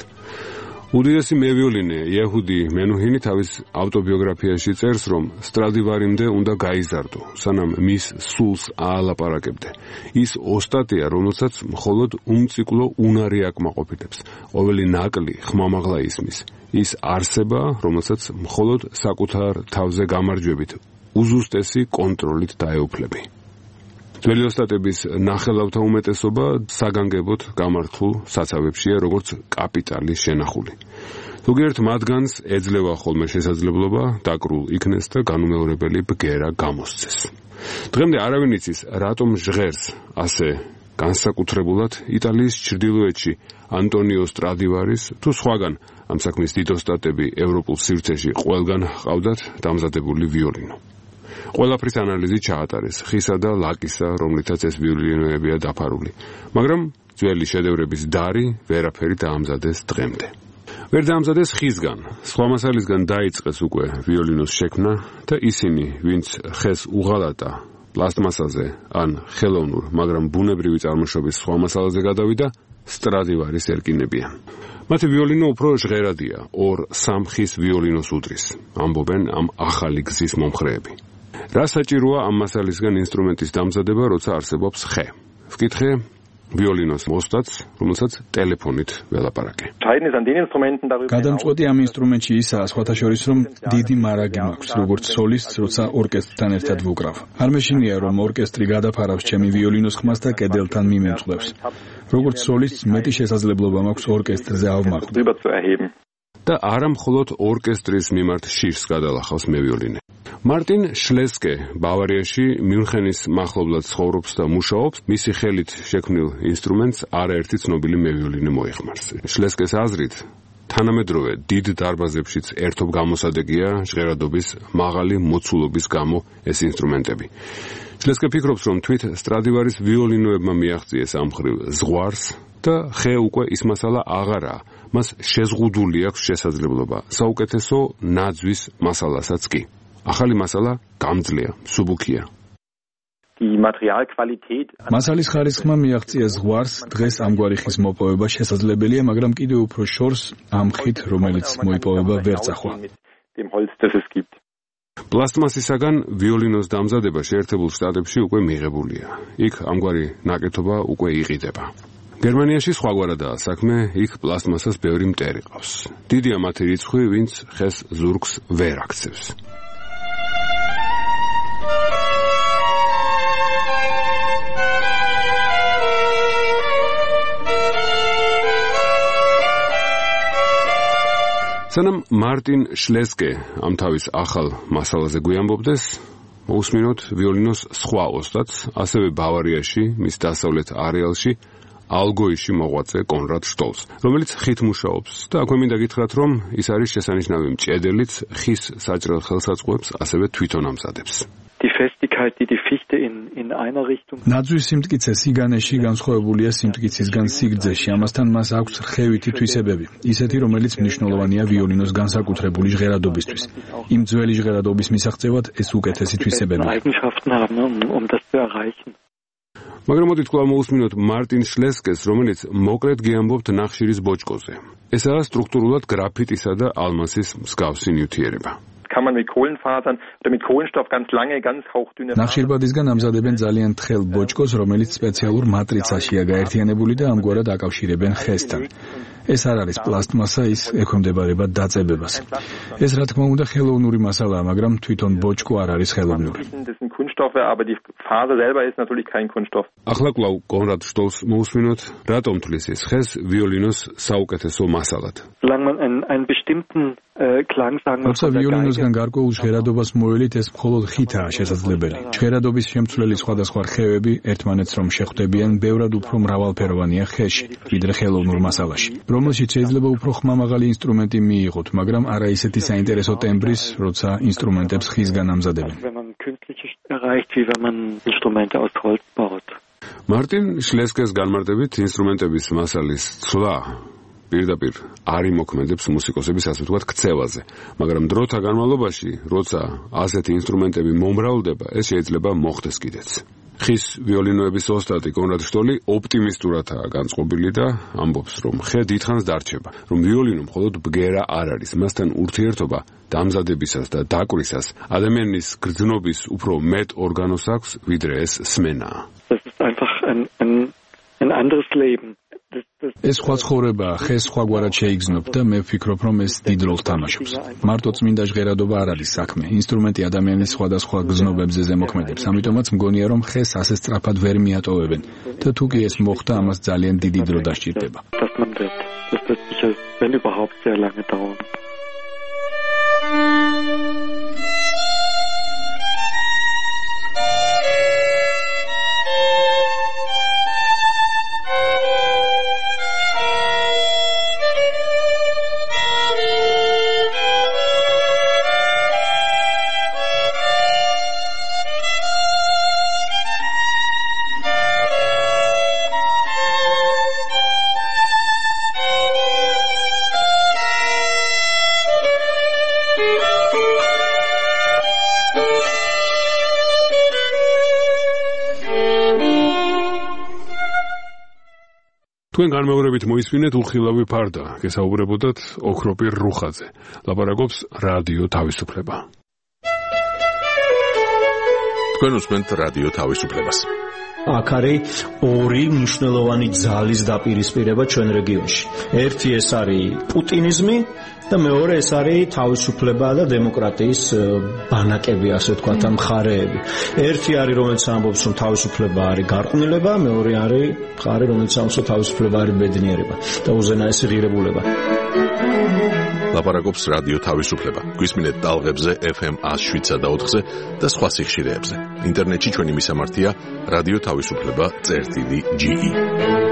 უდიდესი მევიოლინე იეჰუდი მენუჰინი თავის ავტობიოგრაფიაში წერს, რომ სტრადივარიმდე უნდა გაიზარდო, სანამ მის სულს აალაპარაკებდე. ის ოსტატია, რომელსაც მხოლოდ უმციკლო უნარი აკმაყოფილებს. ყოველი ნაკლი ხმამაღლა ისმის. ის არსება, რომელსაც მხოლოდ საკუთარ თავზე გამარჯვებით, უზუსტესი კონტროლით დაეუფლები. ძველი ოსტატების ნახელავთა უმეტესობა საგანგებოდ გამართულ საცავებშია, როგორც კაპიტალის შენახული. ზოგიერთ მათგანს ეძლევა ხოლმე შესაძლებლობა დაკრულ იქნეს და განუმეორებელი ბგერა გამოსცეს. დღემდე არავინ იცის, რატომ ჟღერს ასე განსაკუთრებულად იტალიის ჩრდილოეთში ანტონიო სტრადივარის თუ სხვაგან ამ საქმის დიდ ოსტატები ევროპულ სივრცეში ყველგან ჰყავდათ დამზადებული ვიოლინო. ყველაფრის ანალიზი ჩაატარეს ხისა და ლაკისა, რომლითაც ეს ვიოლინოებია დაფარული, მაგრამ ძველი შედევრების დარი ვერაფერი დაამზადეს დღემდე. ვერ დაამზადეს ხისგან, სხვა მასალისგან დაიწყეს უკვე ვიოლინოს შექმნა და ისინი, ვინც ხეს უღალატა პლასტმასაზე ან ხელოვნურ, მაგრამ ბუნებრივი წარმოშობის სხვა მასალაზე გადავიდა, სტრადივარის ერკინებიან. მათი ვიოლინო უფრო ჟღერადია, 2-3 ხის ვიოლინოს უდრის, ამბობენ ამ ახალი გზის მომხრეები. რა საჭიროა ამ მასალისგან ინსტრუმენტის დამზადება, როცა არსებობს ხე? ვკითხე ვიოლინოს მოსტაც, რომელსაც ტელეფონით ველაპარაკე.
გადამწყვეტი ამ ინსტრუმენტში ისაა, სხვათა შორის, რომ დიდი მარაგი მაქვს, როგორც სოლისტს, როცა ორკესტრთან ერთად ვუკრავ. არ მეშინია, რომ ორკესტრი გადაფარავს ჩემი ვიოლინოს ხმას და კედელთან მიმემწყლებს. როგორც სოლისტს, მეტი შესაძლებლობა მაქვს ორკესტრზე ავმაყდო. და არა მხოლოდ ორკესტრის მიმართ შიშს გადალახავს მე ვიოლინე. მარტინ შლესკე ბავარიაში მიუნხენის მახლობლად ცხოვრობს და მუშაობს, მისი ხელით შექმნილ ინსტრუმენტს არაერთი ცნობილი მე ვიოლინე მოიხმარს. შლესკეს აზრით, თანამედროვე დიდ დარბაზებშიც ერთობ გამოსადეგია ჟღერადობის მაღალი მოცულობის გამო ეს ინსტრუმენტები. შლესკე ფიქრობს, რომ თვით სტრადივარის ვიოლინოებმა მიაღწიეს ამ მხრივ ზღვარს და ხე უკვე ის მასალა აღარაა, მას შეზღუდული აქვს შესაძლებლობა საუკეთესო ნაძვის მასალასაც კი. ახალი მასალა გამძლეა, მსუბუქია. მასალის ხარისხმა მიაღწია ზღვარს, დღეს ამგვარი ხის მოპოვება შესაძლებელია, მაგრამ კიდევ უფრო შორს ამ ხით, რომელიც მოიპოვება ვერ წახვა.
პლასტმასისაგან ვიოლინოს დამზადება შეერთებულ შტატებში უკვე მიღებულია. იქ ამგვარი ნაკეთობა უკვე იყიდება. გერმანიაში სხვაგვარადაა საქმე, იქ პლასტმასას ბევრი მტერი ყავს. დიდია მათი რიცხვი, ვინც ხეს ზურგს ვერ აქცევს. სანამ მარტინ შლესკე ამ თავის ახალ მასალაზე გვიამბობდეს, მოусმინოთ ვიოლინოს სხვა ოსტატს, ასევე ბავარიაში, მის დასავლეთ არეალში, ალგოიში მოღვაწე კონრად შტოლს, რომელიც ხით მუშაობს და აქვე მინდა გითხრათ, რომ ის არის შესანიშნავი მჭედელიც, ხის საჭრელ ხელსაწყოებს ასევე თვითონ ამზადებს. ნაძვის სიმტკიცე სიგანეში განსხვავებულია სიმტკიცისგან სიგრძეში, ამასთან მას აქვს რხევითი თვისებები, ისეთი, რომელიც მნიშვნელოვანია ვიოლინოს განსაკუთრებული ჟღერადობისთვის. იმ ძველი ჟღერადობის მისაღწევად ეს უკეთესი თვისებებია. მაგრამ მოდით კვლავ მოусმინოთ მარტინ შლესკეს, რომელიც მოკლედ გიამბობთ ნახშირის ბოჭკოზე. ესაა სტრუქტურულად გრაფიტისა და ალმასის მსგავსი ნივთიერება. ნახშირბადისგან ამზადებენ ძალიან თხელ ბოჭკოს, რომელიც სპეციალურ მატრიცაშია გაერთიანებული და ამგვარად აკავშირებენ ხესთან. ეს არ არის პლასტმასა, ის ექვემდებარება დაწებებას. ეს რა თქმა უნდა ხელოვნური მასალაა, მაგრამ თვითონ ბოჭკო არ არის ხელოვნური. ახლა კვლავ კონრად შტოლს მოусმინოთ, რატომ თვლის ეს ხეს ვიოლინოს საუკეთესო მასალად. როცა ვიოლინოსგან გარკვეულ ჟღერადობას მოველით, ეს მხოლოდ ხითაა შესაძლებელი. ჟღერადობის შემცვლელი სხვადასხვა რხევები ერთმანეთს რომ შეხვდებიან, ბევრად უფრო მრავალფეროვანია ხეში, ვიდრე ხელოვნურ მასალაში, რომელშიც შეიძლება უფრო ხმამაღალი ინსტრუმენტი მიიღოთ, მაგრამ არა ისეთი საინტერესო ტემბრის, როცა ინსტრუმენტებს ხისგან ამზადებენ. მარტინ შლესკეს განმარტებით ინსტრუმენტების მასალის ცვლა პირდაპირ არ იმოქმედებს მუსიკოსების ასე ვთქვათ ქცევაზე, მაგრამ დროთა განმავლობაში, როცა ასეთი ინსტრუმენტები მომრავლდება, ეს შეიძლება მოხდეს კიდეც. ხის ვიოლინოების ოსტატი კონრად შტოლი ოპტიმისტურადაა განწყობილი და ამბობს, რომ ხე დიდხანს დარჩება, რომ ვიოლინო მხოლოდ ბგერა არ არის, მასთან ურთიერთობა დამზადებისას და დაკვრისას ადამიანის გრძნობის უფრო მეტ ორგანოს აქვს, ვიდრე ეს სმენაა.
ეს სხვა ცხოვრება, ხე სხვაგვარად შეიგრძნობ და მე ვფიქრობ, რომ ეს დიდ როლს თამაშობს. მარტო წმინდა ჟღერადობა არ არის საქმე. ინსტრუმენტი ადამიანის სხვადასხვა გზნობებზე ზემოქმედებს, ამიტომაც მგონია, რომ ხეს ასე სწრაფად ვერ მიატოვებენ და თუ კი ეს მოხდა, ამას ძალიან დიდი დრო დასჭირდება.
Wenn überhaupt sehr lange dauern.
თქვენ განმეორებით მოისმინეთ უხილავი ფარდა, გესაუბრებოდათ ოქროპირ რუხაძე. ლაპარაკობს რადიო თავისუფლება.
თქვენ უსმენთ რადიო თავისუფლებას.
აქ არის ორი მნიშვნელოვანი ძალის დაპირისპირება ჩვენ რეგიონში. ერთი ეს არის პუტინიზმი და მეორე ეს არის თავისუფლება და დემოკრატიის ბანაკები, ასე ვთქვათ, მხარეები. ერთი არის, რომელიც ამბობს, რომ თავისუფლება არის გარყვნილება, მეორე არის მხარე, რომელიც ამბობს, რომ თავისუფლება არის ბედნიერება და უზენაესი ღირებულება.
ლაპარაკობს რადიო თავისუფლება. გვისმინეთ ტალღებზე FM 107.4-ზე და სხვა სიხშირეებზე. ინტერნეტში ჩვენი მისამართია რადიო თავისუფლება.ge